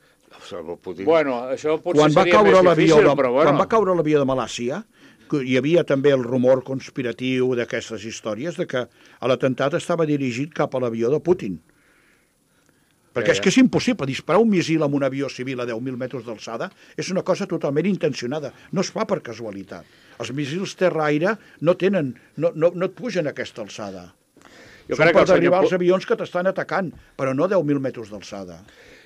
El Putin... Bueno, això potser Quan va seria caure més l'avió difícil, de, però bueno. quan va caure l'avió de Malàcia, que hi havia també el rumor conspiratiu d'aquestes històries de que l'atemptat estava dirigit cap a l'avió de Putin. Perquè Ja, és ja. que és impossible. Disparar un missil amb un avió civil a deu mil metres d'alçada és una cosa totalment intencionada. No es fa per casualitat. Els missils terra-aire no tenen, no, no, no et pugen a aquesta alçada. Jo Són crec que per el senyor derribar Pu- els avions que t'estan atacant, però no a deu mil metres d'alçada.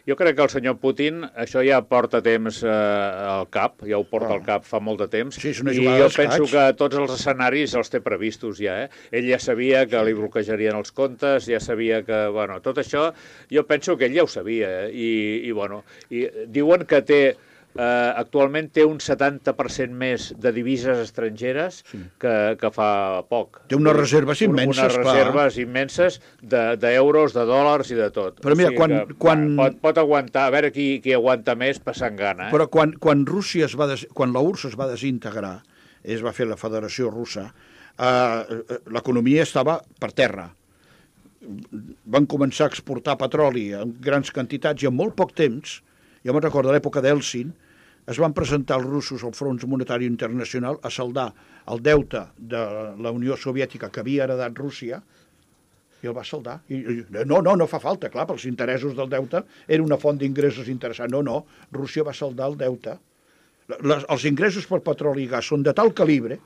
Jo crec que el senyor Putin això ja porta temps eh, al cap, ja ho porta Ah. al cap fa molt de temps, Sí, és una i jugada jo d'escacs. penso que tots els escenaris els té previstos ja, eh? Ell ja sabia que li bloquejarien els comptes, ja sabia que, bueno, tot això, jo penso que ell ja ho sabia, eh? I, i bueno, i diuen que té, eh, actualment té un setanta per cent més de divises estrangeres sí. que, que fa poc. Té unes reserves immenses, Unes clar. reserves immenses de- d'euros, de, de dòlars i de tot. Però mira, quan- que, quan- Pot, pot aguantar, a veure qui, qui aguanta més passant gana. Eh? Però quan, quan Rússia es va des... quan la U R S S es va desintegrar, es va fer la Federació Russa, eh, l'economia estava per terra. Van començar a exportar petroli en grans quantitats i en molt poc temps, jo me'n recordo, a l'època d'Eltsin, es van presentar els russos al Fons Monetari Internacional a saldar el deute de la Unió Soviètica que havia heredat Rússia, i el va saldar. I, i, no, no, no fa falta, clar, pels interessos del deute era una font d'ingressos interessant. No, no, Rússia va saldar el deute. Les, els ingressos per petroli i gas són de tal calibre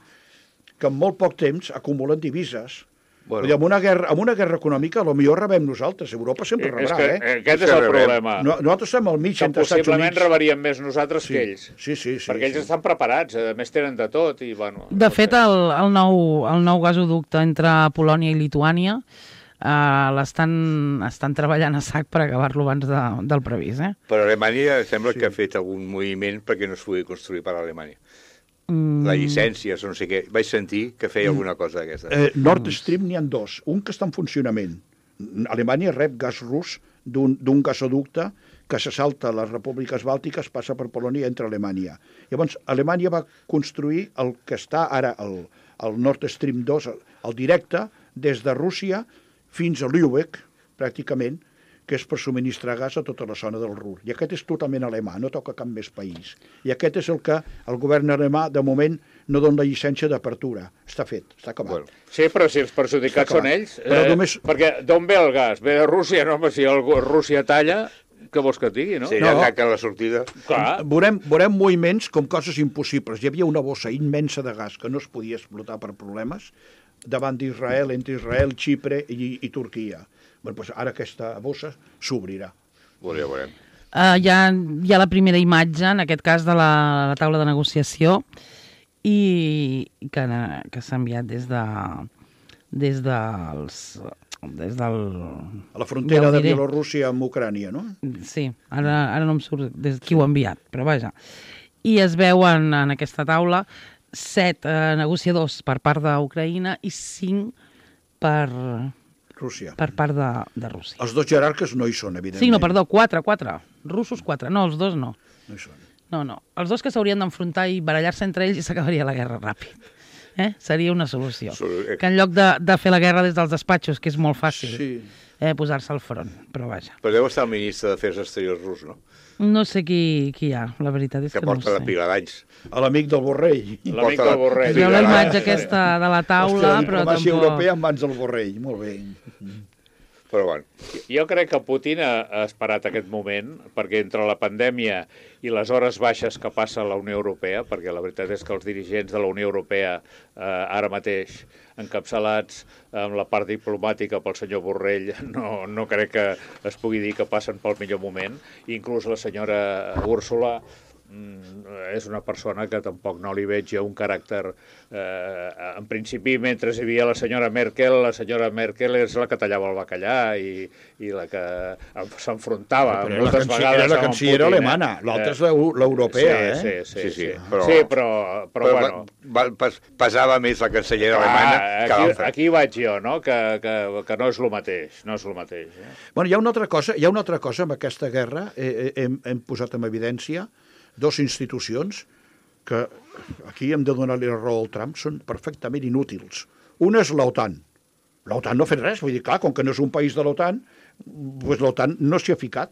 que en molt poc temps acumulen divises. Bueno. Vull dir, amb una guerra, amb una guerra econòmica, potser rebem nosaltres. Europa sempre és rebrà, que eh? aquest És és que el rebem. problema. No, nosaltres estem al mig Que entre Estats possiblement Units. rebaríem més nosaltres Sí, que ells. sí, sí, sí, perquè ells sí. estan preparats, a més tenen de tot. I, bueno, De no fet, sé. el, el, nou, el nou gasoducte entre Polònia i Lituània eh, l'estan estan treballant a sac per acabar-lo abans de, del previst. Eh? Però Alemanya sembla sí. que ha fet algun moviment perquè no es pugui construir per Alemanya. Mm, La llicència, no sé què. Vaig sentir que feia alguna cosa d'aquesta. Eh, Nord Stream n'hi ha dos. Un que està en funcionament. Alemanya rep gas rus d'un d'un gasoducte que se salta a les repúbliques bàltiques, passa per Polònia i entra a Alemanya. Llavors, Alemanya va construir el que està ara el, el Nord Stream dos, el, el directe, des de Rússia fins a Lübeck, pràcticament, que és per subministrar gas a tota la zona del Ruhr. I aquest és totalment alemà, no toca cap més país. I aquest és el que el govern alemà, de moment, no dona la llicència d'apertura. Està fet, està acabat. Bueno. Sí, però si els perjudicats Està clar. són ells... Però només- Perquè d'on ve el gas? Ve de Rússia, no? Home, si el, Rússia talla, què vols que et digui, no? Si No. allà tanca la sortida... Clar. Veurem, veurem moviments com coses impossibles. Hi havia una bossa immensa de gas que no es podia explotar per problemes davant d'Israel, entre Israel, Xipre i, i Turquia. Bueno, doncs ara aquesta bossa s'obrirà. Bueno, ja veurem. Uh, hi, ha, hi ha la primera imatge, en aquest cas, de la, la taula de negociació i que, que s'ha enviat des de des dels des del... A la frontera ja ho de diré. Bielorússia amb Ucrània, no? Sí, ara, ara no em surt des qui ho ha enviat, però vaja. I es veuen en aquesta taula set eh, negociadors per part d'Ucraïna i cinc per, Rússia. per part de, de Rússia. Els dos jerarques no hi són, evidentment. Cinc, no, perdó, quatre, quatre. Russos, quatre. No, els dos no. No hi són. No, no. Els dos que s'haurien d'enfrontar i barallar-se entre ells i s'acabaria la guerra ràpid. Eh? Seria una solució. Sol- Que en lloc de, de fer la guerra des dels despatxos, que és molt fàcil, Sí. eh, posar-se al front. Però vaja. Però deu estar el ministre d'Afers Exteriors rus, no? No sé qui, qui hi ha, la veritat és Que que, no porta ho la sé. pila d'anys. A l'amic del Borrell. L'amic Porta del Borrell. Es veu la Sí, imatge sí. aquesta de la taula, Hòstia, la però diplomàcia tampoc... europea en mans del Borrell. Molt bé. Però bueno, Jo crec que Putin ha, ha esperat aquest moment, perquè entre la pandèmia i les hores baixes que passa a la Unió Europea, perquè la veritat és que els dirigents de la Unió Europea eh, ara mateix, encapçalats amb la part diplomàtica pel senyor Borrell, no, no crec que es pugui dir que passen pel millor moment. Inclús la senyora Úrsula és una persona que tampoc no li veig jo un caràcter... Eh, en principi, mentre hi havia la senyora Merkel, la senyora Merkel és la que tallava el bacallà i, i la que s'enfrontava Però moltes la vegades era la cancellera alemana, eh? L'altra és l'europea, sí, eh? Sí, sí, sí, sí, sí. però- sí però, però, Però bueno... va, va, pesava més la cancellera alemana Ah, que aquí, l'altra. aquí vaig jo, no? Que, que, que no és el mateix, no és el mateix. Eh? Bueno, hi ha una altra cosa, hi ha una altra cosa amb aquesta guerra, eh, eh, hem, hem posat en evidència dos institucions que aquí hem de donar-li la raó al Trump, són perfectament inútils. Una és l'OTAN. L'OTAN no ha fet res, vull dir, clar, com que no és un país de l'OTAN, doncs l'OTAN no s'hi ha ficat.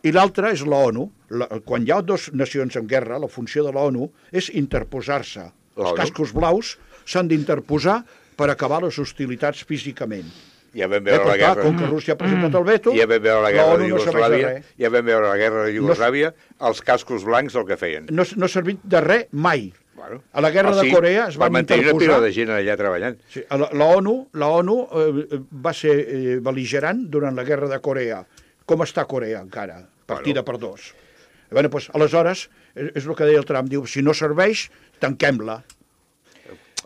I l'altra és l'ONU. La, quan hi ha dues nacions en guerra, la funció de l'ONU és interposar-se. Els cascos blaus s'han d'interposar per acabar les hostilitats físicament. Ja vam Eh, veure però la clar, guerra... com que Rússia ha presentat el veto, Ja vam veure la guerra de l'ONU no serveix de Iugoslàvia, res. ja vam veure la guerra de Iugoslàvia, els cascos blancs el que feien. No, no ha servit de res mai. Bueno, A la guerra o de Corea es per van mantenir una interposar... pila de gent allà treballant. Sí, a la, la ONU, la ONU eh, va ser eh, bel·ligerant durant la guerra de Corea. Com està Corea encara? Partida Bueno. per dos. Bé, doncs, aleshores, és, és el que deia el Trump, diu, si no serveix, tanquem-la.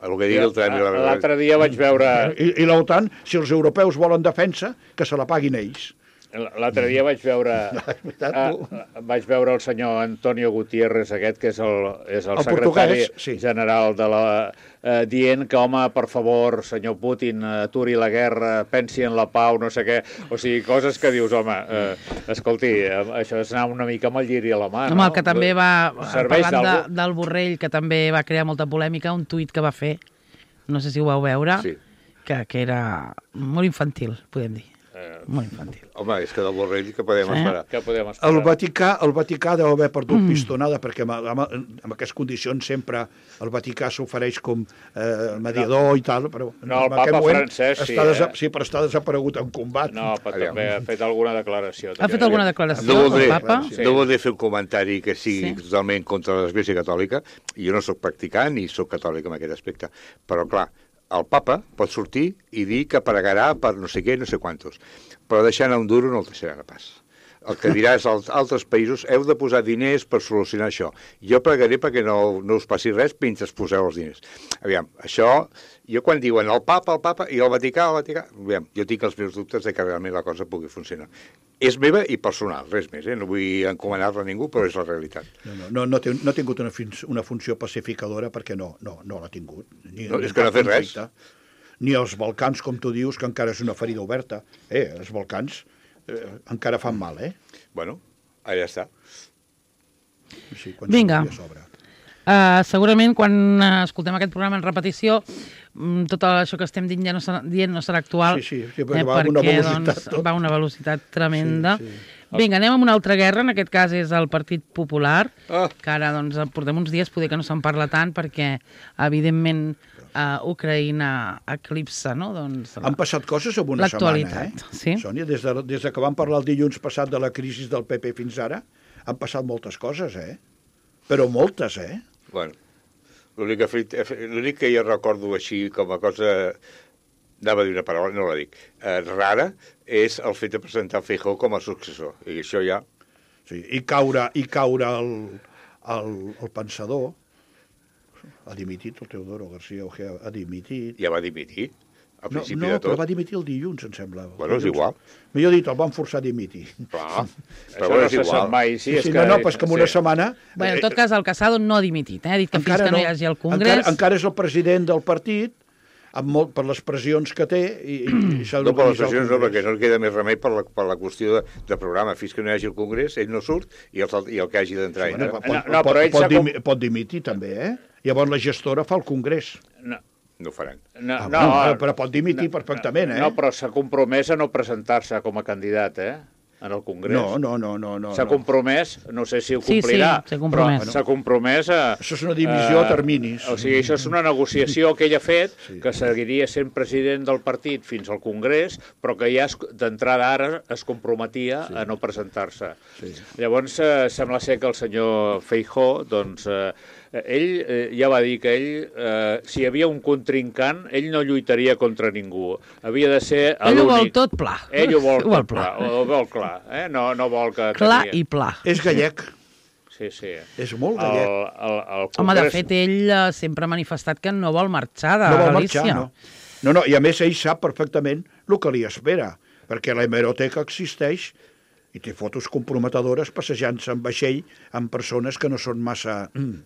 El que digui el Trump... la- L'altre dia vaig veure... I, i l'OTAN, si els europeus volen defensa, que se la paguin ells. L'altre dia vaig veure, És veritat, ah, tu. vaig veure el senyor Antonio Gutiérrez, aquest, que és el, és el, El secretari portuguès, sí. general de la... Eh, dient que, home, per favor, senyor Putin, aturi la guerra, pensi en la pau, no sé què. O sigui, coses que dius, home, eh, escolti, eh, això és anar una mica amb el lliri a la mà, Home, no? el que també va, Serveix parlant de, d'algú? del Borrell, que també va crear molta polèmica, un tuit que va fer, no sé si ho vau veure, Sí. que, que era molt infantil, podem dir. Eh, Molt infantil. Home, és que del Borrell que podem Sí. esperar. Què podem esperar? El Vaticà, el Vaticà deu haver perdut mm. pistonada, perquè amb, amb, amb aquestes condicions sempre el Vaticà s'ofereix com eh, mediador no. i tal, però No, el en aquest Papa moment francès sí, està desa- eh? sí, però està desaparegut en combat. No, però Aviam. també ha fet alguna declaració. Ha també. fet alguna declaració, No voldré, el papa? Sí. no voldré fer un comentari que sigui Sí. totalment contra l'Església Catòlica. Jo no sóc practicant ni sóc catòlic en aquest aspecte. Però, clar, el papa pot sortir i dir que pregarà per no sé què, no sé quantos. Però deixant a un duro no el deixarà pas. El que diràs als altres països, heu de posar diners per solucionar això. Jo pregaré perquè no, no us passi res mentre poseu els diners. Aviam, això, jo quan diuen el papa, el papa, i el Vaticà, el Vaticà, aviam, jo tinc els meus dubtes de que realment la cosa pugui funcionar. És meva i personal, res més, eh? No vull encomanar-la a ningú, però és la realitat. No, no, no, no, té, no ha tingut una, fins, una funció pacificadora perquè no, no, no l'ha tingut. Ni, No, ni és que no ha fet cap res. conflicte. Ni els Balcans, com tu dius, que encara és una ferida oberta. Eh, els Balcans eh, encara fan mal, eh? Bueno, allà està. Sí, quan Vinga. s'hauria a sobre. Uh, segurament quan uh, escoltem aquest programa en repetició, mm, tot això que estem dient ja no serà, dient no serà actual, Sí, sí, sí, perquè va a una velocitat doncs, tot. va a una velocitat tremenda. Sí, sí. Vinga, anem amb una altra guerra, en aquest cas és el Partit Popular, Ah. que ara doncs, portem uns dies, poder que no se'n parla tant, perquè evidentment uh, Ucraïna eclipsa, no? Doncs, Han passat coses en una setmana, eh? L'actualitat, sí. Sònia, des de, des de que vam parlar el dilluns passat de la crisi del P P fins ara, han passat moltes coses, eh? Però moltes, eh? Bueno, l'únic que, fet- l'únic que jo recordo així com a cosa, anava a dir una paraula, no la dic, eh, rara, és el fet de presentar Feijóo com a successor. I això ja... Sí, i caure, i caure el, el, el pensador, ha dimitit, el Teodoro García Ojea ha dimitit. ja va dimitir, al No, principi no, de però tot. va dimitir el dilluns, em sembla. Bueno, és Dilluns. igual. Millor dit, el van forçar a dimitir. Clar, Això però bueno, no és se sap igual. mai. Sí, Sí, és sí, que, no, no, però és que en una sí. setmana... Bé, en tot cas, el Casado no ha dimitit, eh? ha dit que fins encara que no hi hagi el Congrés... Encara, encara és el president del partit, amb molt, per les pressions que té, i, i s'ha No per les d'organitzar el sessions, no, Congrés. perquè no li queda més remei per la, per la qüestió de, de programa. Fins que no hi hagi el Congrés, ell no surt i el, i el que hagi d'entrar. Bueno, Sí, pot, No, pot, no, però pot, ell pot, s'ha com- dimi, pot dimitir també, eh? Llavors la gestora fa el Congrés. No, no ho faran. no, Ah, no, bueno, però pot dimitir perfectament, eh? No, però s'ha compromès a no presentar-se com a candidat, eh? En el Congrés. No, no, no, no. no S'ha no. compromès, no sé si ho Sí, sí, complirà, s'ha compromès. però s'ha compromès a... Això és una divisió a terminis. O sigui, això és una negociació que ell ha fet, Sí. que seguiria sent president del partit fins al Congrés, però que ja es- d'entrada ara es comprometia sí. a no presentar-se. Sí. Llavors, eh, sembla ser que el senyor Feijóo, doncs, eh, ell eh, ja va dir que ell, eh, si hi havia un contrincant, ell no lluitaria contra ningú. Havia de ser Ell ho vol l'únic. tot pla. Ell ho vol, Ho vol tot pla. pla. Ho vol clar. Eh? No, no vol que... Clar que i pla. És gallec. Sí, sí, sí. És molt El, gallec. el, el Congrés... Home, de fet, ell eh, sempre ha manifestat que no vol marxar de No vol Galícia. marxar, no. No, no, i a més ell sap perfectament el que li espera, perquè la hemeroteca existeix i té fotos comprometedores passejant-se en vaixell amb persones que no són massa mm,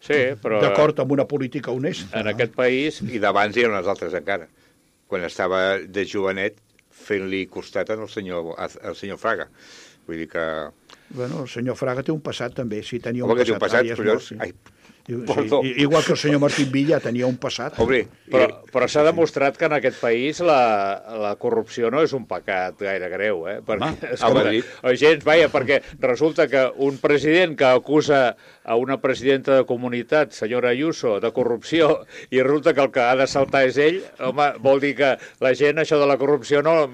Sí, però... d'acord amb una política honesta. En aquest país... I d'abans hi ha unes altres encara. Quan estava de jovenet fent-li costat al senyor, al senyor Fraga. Vull dir que... Bueno, el senyor Fraga té un passat també, sí, tenia un Home, que té un passat. passat, ara ja és però... mort, sí. Ai, I- perdó. sí, igual que el senyor Martín Villa tenia un passat. Home, Però, i- però s'ha demostrat que en aquest país la, la corrupció no és un pecat gaire greu, eh? Perquè, Home, escolta, a Madrid. o gens, vaja, perquè resulta que un president que acusa a una presidenta de comunitat, senyora Ayuso, de corrupció, i resulta que el que ha de saltar és ell, home, vol dir que la gent això de la corrupció no,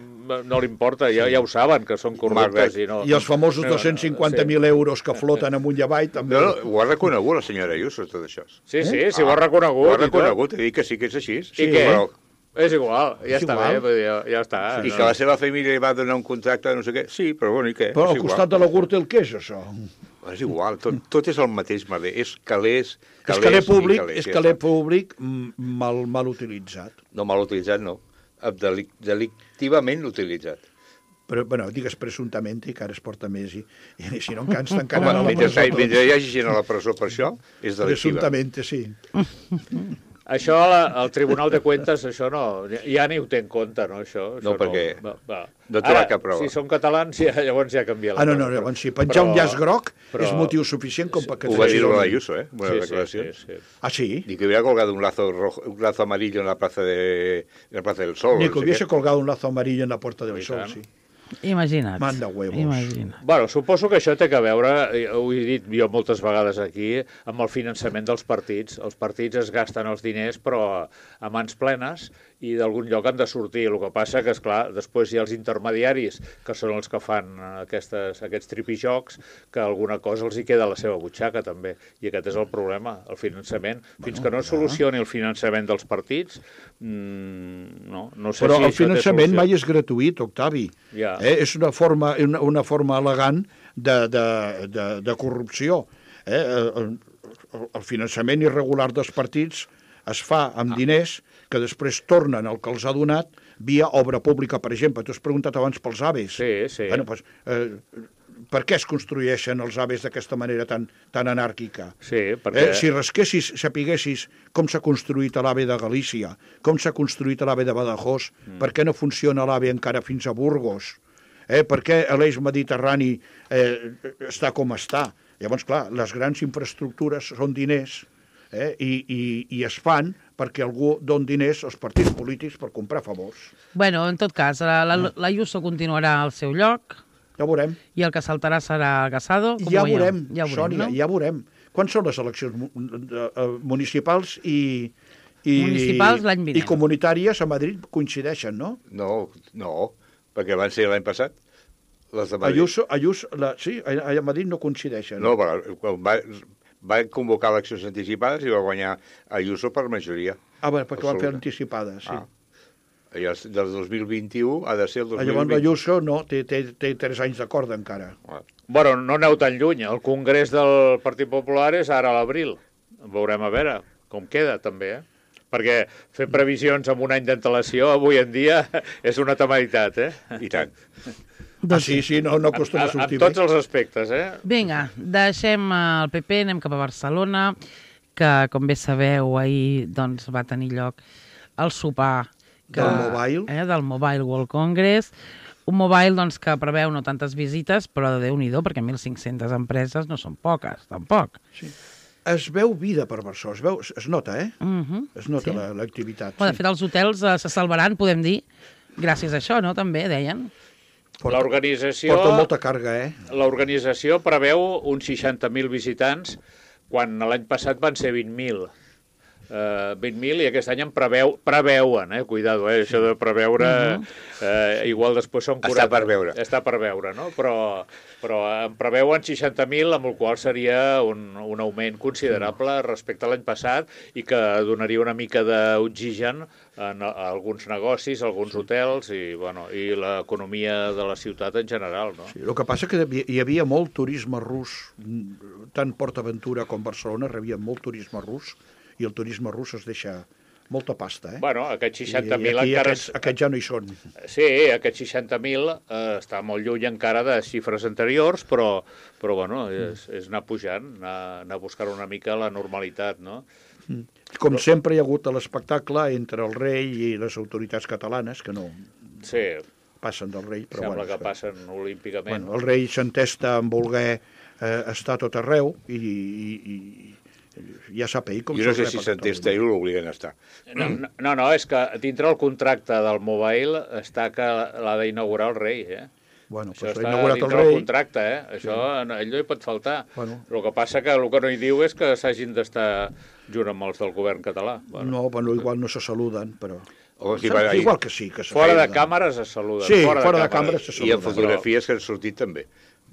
no li importa, ja, ja ho saben, que són corruptes. I, no, I els famosos dos-cents cinquanta mil euros que floten amunt i avall també. No, no, ho ha reconegut la senyora Ayuso, tot això. Sí, sí, sí, ho ha reconegut. Ho ha i tot. reconegut, he dit que sí que és així. I què? Però, És igual, ja És està igual. bé, vull dir, ja, ja està. I que la seva família li va donar un contracte de no sé què. Sí, però bueno, i què? Però És al igual. costat de la Gürtel, què és això? És igual, tot, tot és el mateix merder. És calés, És calés caler i públic, calés, és ja caler està. públic mm, mal, mal utilitzat. No mal utilitzat, no. Delic delictivament utilitzat. Però, bueno, digues presumptament i que ara es porta més i, i si no encara ens tancaran Home, a la mentre, presó. tots. mentre hi hagi gent a la presó per això, és delictiva. Presumptament, sí. Això, la, el Tribunal de Cuentas, això no, ja ni ho té en compte, no, això? això No, perquè va, va. no té Ara, cap prova. si són catalans, ja, llavors ja canvia la Ah, no, no, cosa. llavors si penjar un llaç groc però- és motiu suficient com perquè... Ho va dir t'exili. la Ayuso, eh? Una Sí, sí, declaració. sí, sí. Ah, sí? Ni que hubiera colgado un lazo rojo, un lazo amarillo en la plaza de en la plaza del Sol. Ni no que sé hubiese qué. colgado un lazo amarillo en la Puerta del I Sol, tant. sí. Imagina't. Manda huevos. Imagina't. Bueno, suposo que això té a veure, eh, ho he dit jo moltes vegades aquí, amb el finançament dels partits. Els partits es gasten els diners, però a mans plenes, i d'algun lloc han de sortir. El que passa que, esclar, després hi ha els intermediaris, que són els que fan aquestes, aquests tripijocs, que alguna cosa els hi queda a la seva butxaca, també. I aquest és el problema, el finançament. Fins que no es solucioni el finançament dels partits, mmm, no, no sé Però si el això té finançament solució. mai és gratuït, Octavi. Ja. Eh? És una forma, una, una forma elegant de, de, de, de corrupció. Eh? El, el, el finançament irregular dels partits es fa amb diners que després tornen al que els ha donat via obra pública, per exemple. Tu has preguntat abans pels aves. Sí, sí. Bueno, pues, eh, per què es construeixen els aves d'aquesta manera tan, tan anàrquica? Sí, perquè... Eh, si rasquessis, sapiguessis com s'ha construït l'AVE de Galícia, com s'ha construït l'AVE de Badajoz, mm. per què no funciona l'AVE encara fins a Burgos, eh, per què l'eix mediterrani eh, està com està. Llavors, clar, les grans infraestructures són diners eh, i, i, i es fan perquè algú don diners als partits polítics per comprar favors. Bueno, en tot cas, la, la, la Ayuso continuarà al seu lloc Ja veurem. i el que saltarà serà Casado. Com Ja ho veieu? veurem, ja veurem, Sònia, no? ja veurem. Quan són les eleccions mu- de- eh, municipals i, i, Municipals l'any vinent. i comunitàries a Madrid coincideixen, no? No, no, perquè van ser l'any passat. Les de Madrid. Ayuso, Ayuso la, sí, a, a Madrid no coincideixen. No, però quan va, va convocar eleccions anticipades i va guanyar Ayuso per majoria. Ah, bé, perquè van fer Absoluta. anticipades, sí. Ah. Llavors, del dos mil vint-i-u ha de ser el dos Ah, mil llavors vint. l'Ayuso no, té, té, té tres anys d'acord encara. Ah. Bueno, no aneu tan lluny. El congrés del Partit Popular és ara a l'abril. Veurem a veure com queda, també, eh? Perquè fer previsions amb un any d'antelació avui en dia és una temeritat, eh? I tant. Ah, sí, sí, no, no acostuma a En, en sortir tots bé. els aspectes, eh? Vinga, deixem el P P, anem cap a Barcelona, que, com bé sabeu, ahir doncs, va tenir lloc el sopar que, Del Mobile. Eh, del Mobile World Congress. Un mobile doncs, que preveu no tantes visites, però de Déu-n'hi-do, perquè mil cinc-centes empreses no són poques, tampoc. Sí. Es veu vida per Barcelona, es, veu, es nota, eh? Uh -huh. Es nota Sí. la- l'activitat. Bueno, de fet, els hotels eh, se salvaran, podem dir, gràcies a això, no?, també, deien. Porta- L'organització... Porta molta càrrega, eh? L'organització preveu uns seixanta mil visitants, quan l'any passat van ser vint mil. eh, vint mil, i aquest any en preveu, preveuen, eh, cuidado, eh, això de preveure, eh, igual després són quaranta. Està per veure. Està per veure, no? Però, però en preveuen seixanta mil, amb el qual seria un, un augment considerable respecte a l'any passat i que donaria una mica d'oxigen en alguns negocis, alguns hotels i, bueno, i l'economia de la ciutat en general, no? Sí, el que passa que hi havia molt turisme rus, tant PortAventura com Barcelona rebien molt turisme rus, i el turisme rus es deixa molta pasta, eh? Bueno, aquests seixanta mil I encara... Aquests, aquests ja no hi són. Sí, aquests seixanta mil eh, està molt lluny encara de xifres anteriors, però, però bueno, és, és anar pujant, anar, anar a buscar una mica la normalitat, no? Com sempre hi ha hagut l'espectacle entre el rei i les autoritats catalanes, que no sí, passen del rei, però sembla bueno, que passen olímpicament. Bueno, el rei s'entesta en voler eh, estar a tot arreu i, i, i ja sap ell com jo no sé se'l si rep a s'entesta ell o l'obliguen a estar. No, no, no, no, és que dintre el contracte del Mobile està que l'ha d'inaugurar el rei, eh? Bueno, Això pues està l'ha inaugurat el dintre rei. del contracte, eh? Això no, ell no hi pot faltar. Bueno. El que passa que el que no hi diu és que s'hagin d'estar junt amb els del govern català. Bueno. No, bueno, igual no se saluden, però... O si va, Igual que sí, que se Fora de saluden. càmeres es saluden. Sí, fora, fora de, de càmeres. càmeres se I en saluden. fotografies que han sortit també.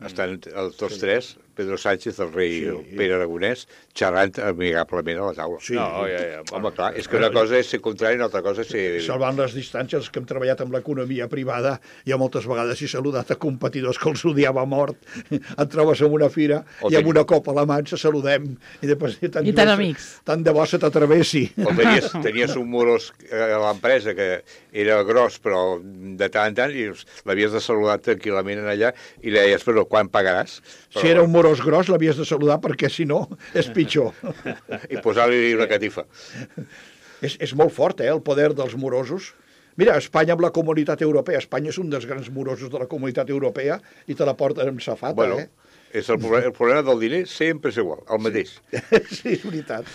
Estan els tots tres, Pedro Sánchez, el rei Sí. Pere Aragonès, xerrant amigablement a la taula. Sí. No, ja, ja. Home, clar, és que una cosa és ser contrari i una altra cosa és ser... Salvant les distàncies, els que hem treballat amb l'economia privada, ja moltes vegades he saludat a competidors que els odiava a mort. Et trobes en una fira O i amb ten- una copa a la mà ens saludem. I, després, i, tant I de tan bo se- amics. Tant de bo se t'atravessi. O tenies, tenies un morós a l'empresa que era gros, però de tant en tant, i l'havies de saludar tranquil·lament allà, i li deies, però quan pagaràs? Però, Si era un morós gros, l'havies de saludar perquè, si no, és pitjor. I posar-li una catifa. és, és molt fort, eh, el poder dels morosos. Mira, Espanya amb la comunitat europea. Espanya és un dels grans morosos de la comunitat europea i te la porten amb safata, Bueno, eh? és el, problema, el problema del diner sempre és igual, el mateix. Sí, és veritat.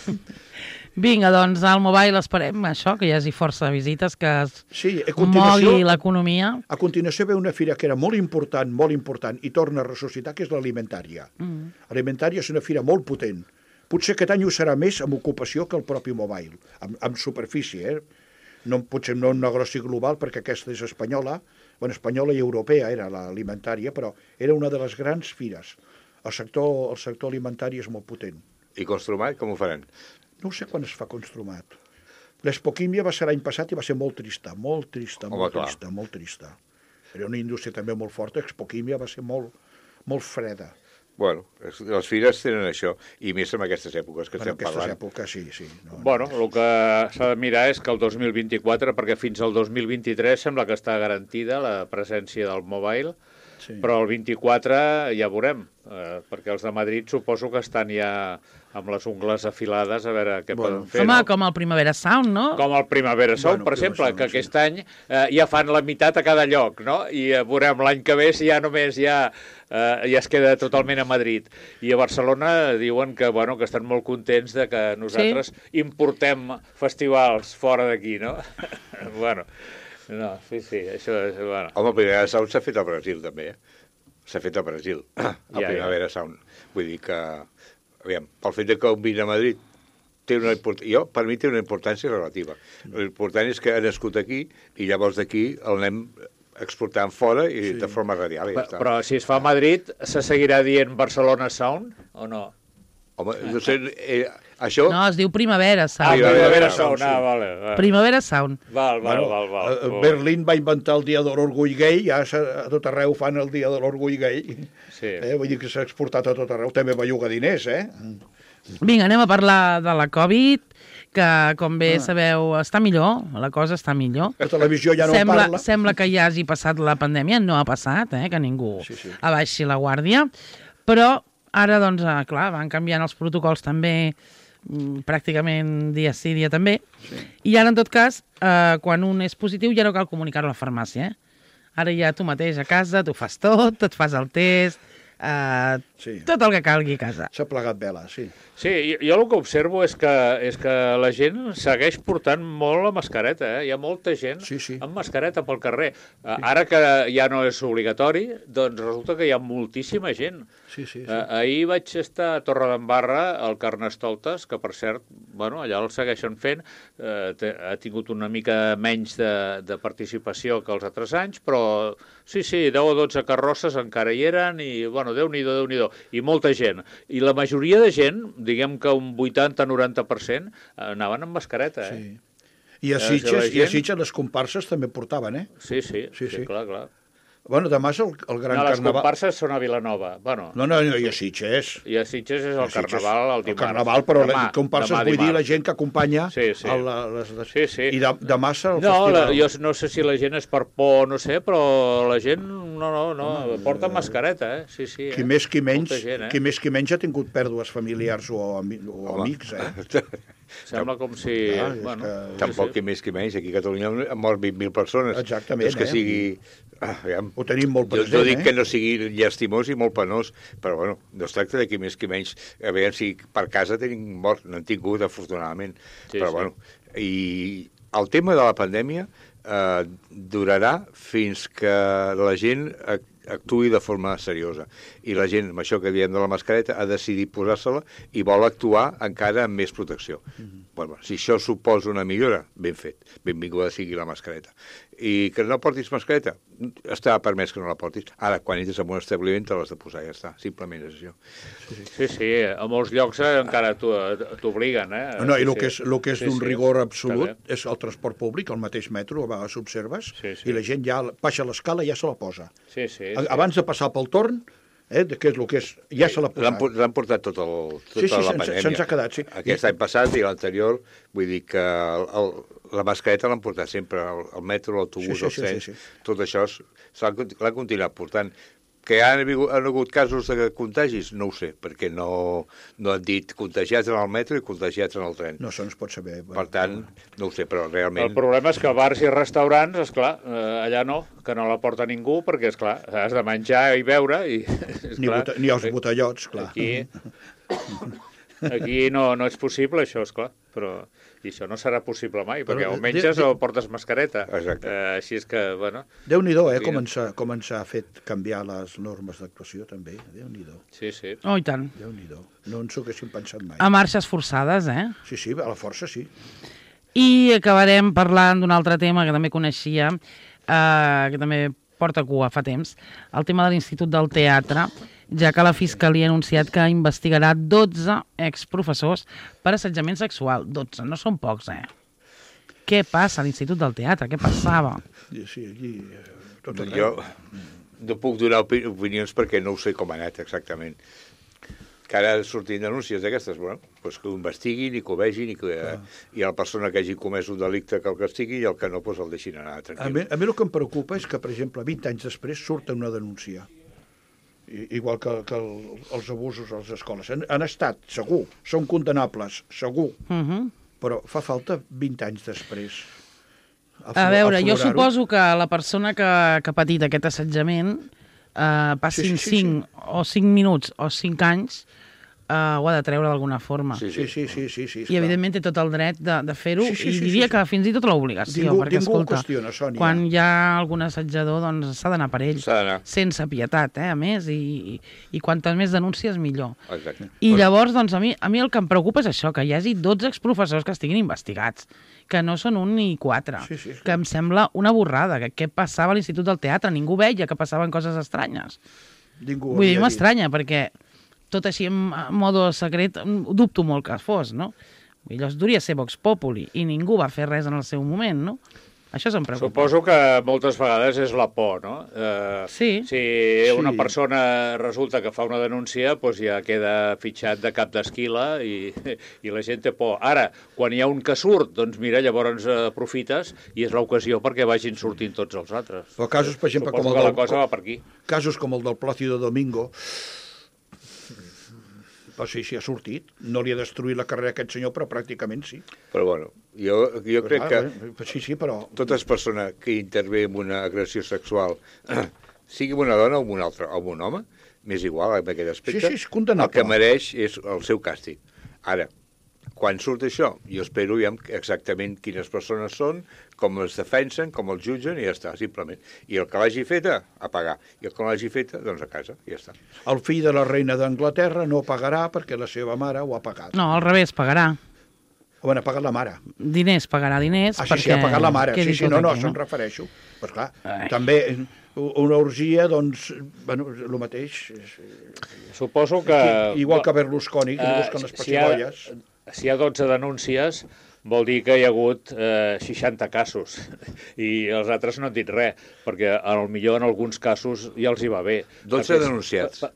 Vinga, doncs al Mobile esperem això, que hi hagi força visites, que es Sí, a continuació, mogui l'economia. a continuació ve una fira que era molt important, molt important, i torna a ressuscitar, que és l'alimentària. Mm. Alimentària és una fira molt potent. Potser aquest any ho serà més amb ocupació que el propi Mobile, amb, amb superfície, eh? No, potser no un negoci global, perquè aquesta és espanyola, bueno, espanyola i europea era l'alimentària, però era una de les grans fires. El sector, el sector alimentari és molt potent. I Construmat, com ho faran? No sé quan es fa Construmat. L'Espoquímia va ser l'any passat i va ser molt trista, molt trista, Home, molt clar. trista, molt trista. Era una indústria també molt forta, Expoquímia va ser molt, molt freda. Bueno, es- les fires tenen això, i més en aquestes èpoques que En estem aquestes parlant. èpoques, sí, sí. No, Bueno, el que s'ha de mirar és que el dos mil vint-i-quatre, perquè fins al dos mil vint-i-tres sembla que està garantida la presència del Mobile, sí. però el vint-i-quatre ja veurem, eh, perquè els de Madrid suposo que estan ja amb les ungles afilades a veure què Bueno, poden fer. Home, no? com el Primavera Sound, no? Com el Primavera Sound, Bueno, per exemple, Primavera que Sound, aquest any eh, ja fan la meitat a cada lloc, no? I eh, veurem l'any que ve si ja només ja, eh, ja es queda totalment a Madrid. I a Barcelona diuen que, bueno, que estan molt contents de que nosaltres sí. importem festivals fora d'aquí, no? bueno, no, sí, sí, això és... Bueno. Home, el Primavera Sound s'ha fet al Brasil, també, eh? S'ha fet al Brasil, el Ja, ja. Primavera Sound. Vull dir que, aviam, pel fet de que un vine a Madrid té una import... jo, per mi té una importància relativa. L'important és que ha nascut aquí i llavors d'aquí el anem exportant fora i sí. de forma radial i ja Però, està. però si es fa a Madrid, se seguirà dient Barcelona Sound o no? Home, no sé, eh, això... No, es diu Primavera Ah, Sound. Primavera Primavera Sound, Sound, ah, vale. vale. Primavera Sound. Val, val, Bueno, val, val. eh, val. Berlín va inventar el dia de l'orgull gay, ja s'ha- a tot arreu fan el dia de l'orgull gay. Sí. Eh, vull dir que s'ha exportat a tot arreu, també belluga diners, eh? Vinga, anem a parlar de la Covid, que, com bé sabeu, està millor, la cosa està millor. La televisió ja no en sembla, parla. sembla que ja hagi passat la pandèmia, no ha passat, eh, que ningú Sí, sí. abaixi la guàrdia, però ara, doncs, eh, clar, van canviant els protocols també mm, pràcticament dia sí, dia també, sí. I ara, en tot cas, eh, quan un és positiu ja no cal comunicar-ho a la farmàcia, eh? Ara ja tu mateix a casa, tu fas tot, et fas el test, uh, Sí. tot el que calgui a casa. S'ha plegat vela, sí. Sí, jo, jo el que observo és que, és que la gent segueix portant molt la mascareta, eh? Hi ha molta gent Sí, sí. amb mascareta pel carrer. Sí. Ara que ja no és obligatori, doncs resulta que hi ha moltíssima gent. Sí, sí, sí. Eh, ahir vaig estar a Torredembarra, al Carnestoltes, que per cert, bueno, allà el segueixen fent, eh, té, ha tingut una mica menys de, de participació que els altres anys, però sí, sí, deu o dotze carrosses encara hi eren i, bueno, Déu-n'hi-do, Déu-n'hi-do, i molta gent. I la majoria de gent, diguem que un vuitanta a noranta per cent, anaven amb mascareta, eh? Sí. I a Eh, Sitges, que la i a gent- Sitges les comparses també portaven, eh? Sí, sí, Sí, sí, sí. clar, clar. Bueno, demà és el, el gran No, les carnaval. comparses són a Vilanova. Bueno, No, no, no, i a Sitges. i a Sitges és el A Sitges, carnaval el dimarts. El carnaval, però Demà, la comparses demà vull dir la dimarts. gent que acompanya Sí, sí. a la, les, les... Sí, sí. I de, demà serà el No, la, festival. jo no sé si la gent és per por, no sé, però la gent, no, no, no, porta mascareta, eh? Sí, sí. Qui eh? més qui menys, Molta gent, eh? qui més qui menys ha tingut pèrdues familiars o, ami o Home. amics, eh? Sembla com si... Clar, és bueno, que- sí, Tampoc sí. qui més qui menys. Aquí a Catalunya han mort vint mil persones. Exactament, És que eh? sigui... Ah, aviam. Ho tenim molt Jo, present, jo dic eh? que no sigui llastimós i molt penós, però bueno, no es tracta de qui més qui menys. A veure si per casa tenim mort, n'han tingut, afortunadament. Sí, però sí. bueno, i el tema de la pandèmia eh, durarà fins que la gent ac- actuï de forma seriosa. I la gent, amb això que diem de la mascareta, ha decidit posar-se-la i vol actuar encara amb més protecció. Mm-hmm. Bueno, si això suposa una millora, ben fet. Benvinguda sigui la mascareta. I que no portis mascareta, està permès que no la portis. Ara, quan entres en un establiment, te l'has de posar, ja està. Simplement és això. Sí, sí, a molts llocs eh, encara t'ho- t'obliguen, eh? No, no, i Sí, el sí. que és, el que és Sí, d'un sí, rigor està absolut bé. és el transport públic, el mateix metro, a vegades observes, Sí, sí. i la gent ja baixa l'escala i ja se la posa. Sí, sí, A- sí. Abans de passar pel torn, eh, de què és el que és, ja se l'ha L'han posat. por- l'han portat tot el, tota Sí, sí, la se'ns- pandèmia. se'ns ha quedat, sí. Aquest any passat i l'anterior, vull dir que el, el, la mascareta l'han portat sempre, el, el metro, l'autobús, Sí, sí, els sí, trens, sí, sí. tot això s- s'ha- l'han continuat portant. Que han, hagut- han hagut casos de contagis? No ho sé, perquè no, no han dit contagiats en el metro i contagiats en el tren. No, això no es pot saber. Per tant, no ho sé, però El realment... problema és que bars i restaurants, esclar, eh, allà no, que no la porta ningú, perquè, esclar, has de menjar i beure, i, Ni, esclar, bota, ni els botellots, clar. aquí, aquí no, no és possible, això, esclar, però i això no serà possible mai, perquè Però, o menges de- de- o portes mascareta. Exacte. Eh, així és que, bueno, Déu-n'hi-do, eh, Sí. com ens, ha, com ens ha fet canviar les normes d'actuació, també. Déu-n'hi-do, sí, sí. Oh, i tant. Déu-n'hi-do. No ens ho haguéssim pensat mai. A marxes forçades, eh? Sí, sí, a la força sí. I acabarem parlant d'un altre tema que també coneixia, eh, que també porta cua fa temps, el tema de l'Institut del Teatre, ja que la Fiscalia ha anunciat que investigarà dotze exprofessors per assetjament sexual. dotze, no són pocs, eh? Què passa a l'Institut del Teatre? Què passava? Sí, sí, allí, eh, tot arreu. Jo no puc donar opi opinions perquè no ho sé com ha anat exactament. Que ara sortint denúncies d'aquestes, bueno, doncs que ho investiguin i que ho vegin i que ah. i la persona que hagi comès un delicte que el castigui i el que no, doncs el deixin anar A mi, tranquil. a mi el que em preocupa és que, per exemple, vint anys després surten una denúncia. I, igual que, que el, els abusos a les escoles. Han, han estat, segur, són condenables, segur, Uh -huh. però fa falta vint anys després. A veure, jo aflorar-ho. suposo que la persona que, que ha patit aquest assetjament eh, passin Sí, sí, sí, sí. cinc o cinc minuts o cinc anys eh, ho ha de treure d'alguna forma. Sí, Sí, sí, sí, sí, sí, I esclar. evidentment té tot el dret de, de fer-ho Sí, sí, i sí, diria sí, sí. que fins i tot l'obligació, Ningú- perquè ningú ho escolta, qüestiona, Sònia. quan hi ha algun assetjador doncs s'ha d'anar per ell, S'ha d'anar. sense pietat, eh, a més, i, i, i quantes més denúncies millor. Exacte. I llavors, doncs, a mi, a mi el que em preocupa és això, que hi hagi dotze exprofessors que estiguin investigats, que no són un ni quatre, Sí, sí, sí. que em sembla una borrada, que què passava a l'Institut del Teatre, ningú veia que passaven coses estranyes. Ningú Vull dir, havia dit. m'estranya, perquè tot així en modo secret, dubto molt que fos, no? Vull dir, allò duria ser Vox Populi, i ningú va fer res en el seu moment, no? Això se'm preocupa. Suposo que moltes vegades és la por, no? Eh, Sí. Si una Sí. persona resulta que fa una denúncia, doncs ja queda fitxat de cap d'esquila i, i la gent té por. Ara, quan hi ha un que surt, doncs mira, llavors aprofites i és l'ocasió perquè vagin sortint tots els altres. Però casos, per exemple, Suposo com el que la del- cosa va per aquí. Casos com el del Plácido Domingo, però sí, sí, ha sortit. No li ha destruït la carrera a aquest senyor, però pràcticament sí. Però bueno, jo, jo crec que que... Sí, sí, però... totes persones que intervé en una agressió sexual, sigui una dona o un altre, o un home, m'és igual amb aquest aspecte. Sí, sí, és condemnable. El que mereix és el seu càstig. Ara, quan surt això, jo espero ja exactament quines persones són, com es defensen, com els jutgen, i ja està, simplement. I el que l'hagi feta, a pagar. I el que no l'hagi feta, doncs a casa, i ja està. El fill de la reina d'Anglaterra no pagarà perquè la seva mare ho ha pagat. No, al revés, pagarà. Bueno, ha pagat la mare. Diners, pagarà diners. Ah, sí, sí, perquè ha pagat la mare. Sí, quedi sí, tot no, no, aquí, això em refereixo. Però clar, també una orgia, doncs, bueno, el mateix. Suposo que... Igual que Berlusconi, que li eh, busquen les si hi ha- pessigolles. Si hi ha dotze denúncies, vol dir que hi ha hagut eh, seixanta casos i els altres no han dit res, perquè potser en alguns casos ja els hi va bé. dotze Perquè és- denunciats.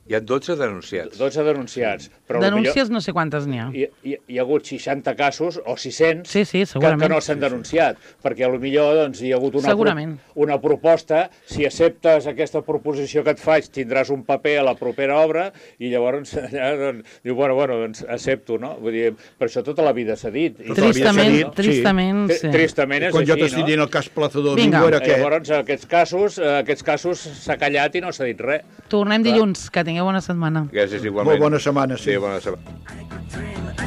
Hi ha dotze denunciats. dotze denunciats. Però Denúncies no sé quantes n'hi ha. Hi, hi, hi ha hagut seixanta casos o sis cents Sí, sí, que, segurament. que no s'han denunciat, perquè potser doncs, hi ha hagut una, Segurament. una proposta, si acceptes aquesta proposició que et faig tindràs un paper a la propera obra i llavors allà doncs, diu, bueno, bueno, doncs accepto, no? Vull dir, per això tota la vida s'ha dit. I Tota la vida s'ha Tristament, dit, sí. tristament, Tri- sí. Tristament és Quan jo així, t'estic no? dient el cas Plaza Domingo Vinga. era què? Llavors, aquests casos, eh, aquests casos s'ha callat i no s'ha dit res. Tornem dilluns, que tingueu bona setmana. Gràcies igualment. Molt bona setmana, sí. Sí, bona setmana.